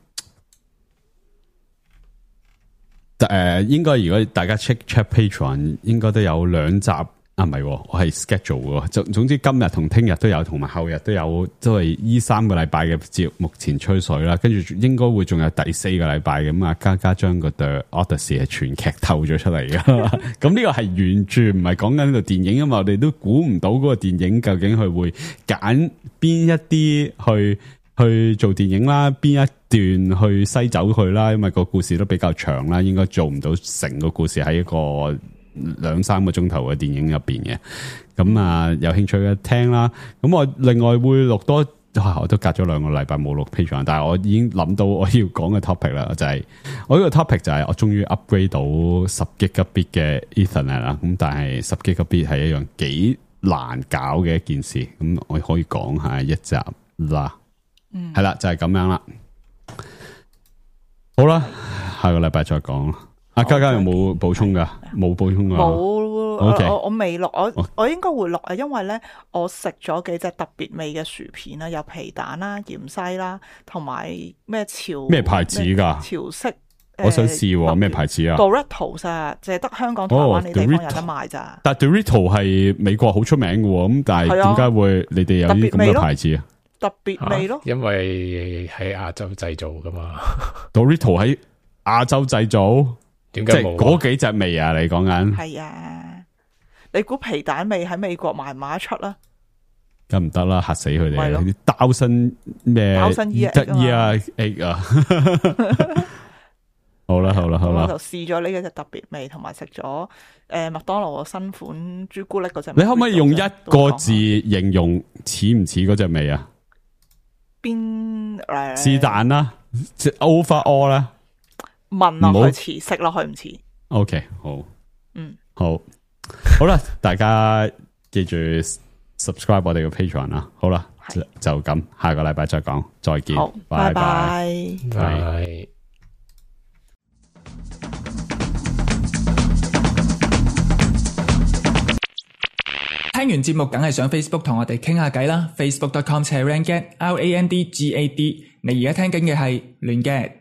呃，應該如果大家 check check Patreon，應該都有兩集。啊唔係，我係 schedule 嘅，總總之今日同聽日都有，同埋後日都有，都係依三個禮拜嘅節目前吹水啦。跟住應該會仲有第四個禮拜咁啊，嘉嘉將個 The Odyssey 係全劇透咗出嚟嘅。咁呢個係完全唔係講緊呢度電影，因為我哋都估唔到嗰個電影究竟佢會揀邊一啲去去做電影啦，邊一段去篩走佢啦，因為個故事都比較長啦，應該做唔到成個故事喺一個兩三個鐘頭嘅電影入邊嘅，咁啊有興趣嘅聽啦。咁我另外會錄多，啊、我都隔咗兩個禮拜冇錄 Patreon，但係我已經諗到我要講嘅 topic 啦，就係、是、我呢個 topic 就係我終於 upgrade 到十 Gigabit 嘅 Ethernet 啦。咁但係十 Gigabit 係一樣幾難搞嘅一件事，咁我可以講下一集啦。嗯，係啦，就係、是、咁樣啦。好啦，下個禮拜再講。阿嘉嘉有冇補充噶？冇補充噶。冇、okay.
我我未錄，我我，我應該會錄啊，因為咧我食咗幾隻特別味嘅薯片啦，有皮蛋啦、芫茜啦，同埋咩潮
咩牌子噶？
潮式，
我想試咩牌子啊
？Doritos 啊，淨係得香港、台灣呢地方有得賣咋、哦。
但 Doritos 係美國好出名嘅，咁但係點解會你哋有啲咁嘅牌子啊？
特別味咯，
因為喺亞洲製造噶嘛。
Doritos 喺亞洲製造。
點解冇
嗰幾隻味啊？你講緊
係啊？你估皮蛋味喺美國賣唔賣得出啦？
咁唔得啦，嚇死佢哋！啲刀身咩？
刀身 E
得 E 啊 egg 啊！好啦好啦好啦，
我就試咗呢隻特別味，同埋食咗誒麥當勞個新款朱古力嗰隻。
你可唔可以用一個字形容似唔似嗰隻味啊？
邊誒？
是但啦 ，overall 啦。
聞落去似，食落去唔似。
OK， 好，
嗯，
好，好啦，大家記住 subscribe 我哋嘅 Patreon 啦。好啦，就咁，下個禮拜再講，再見，拜拜，拜。
聽完節目，梗係上 Facebook 同我哋傾下偈啦。Facebook dot com slash Randgad R A N D G A D。你而家聽緊嘅係亂 gad。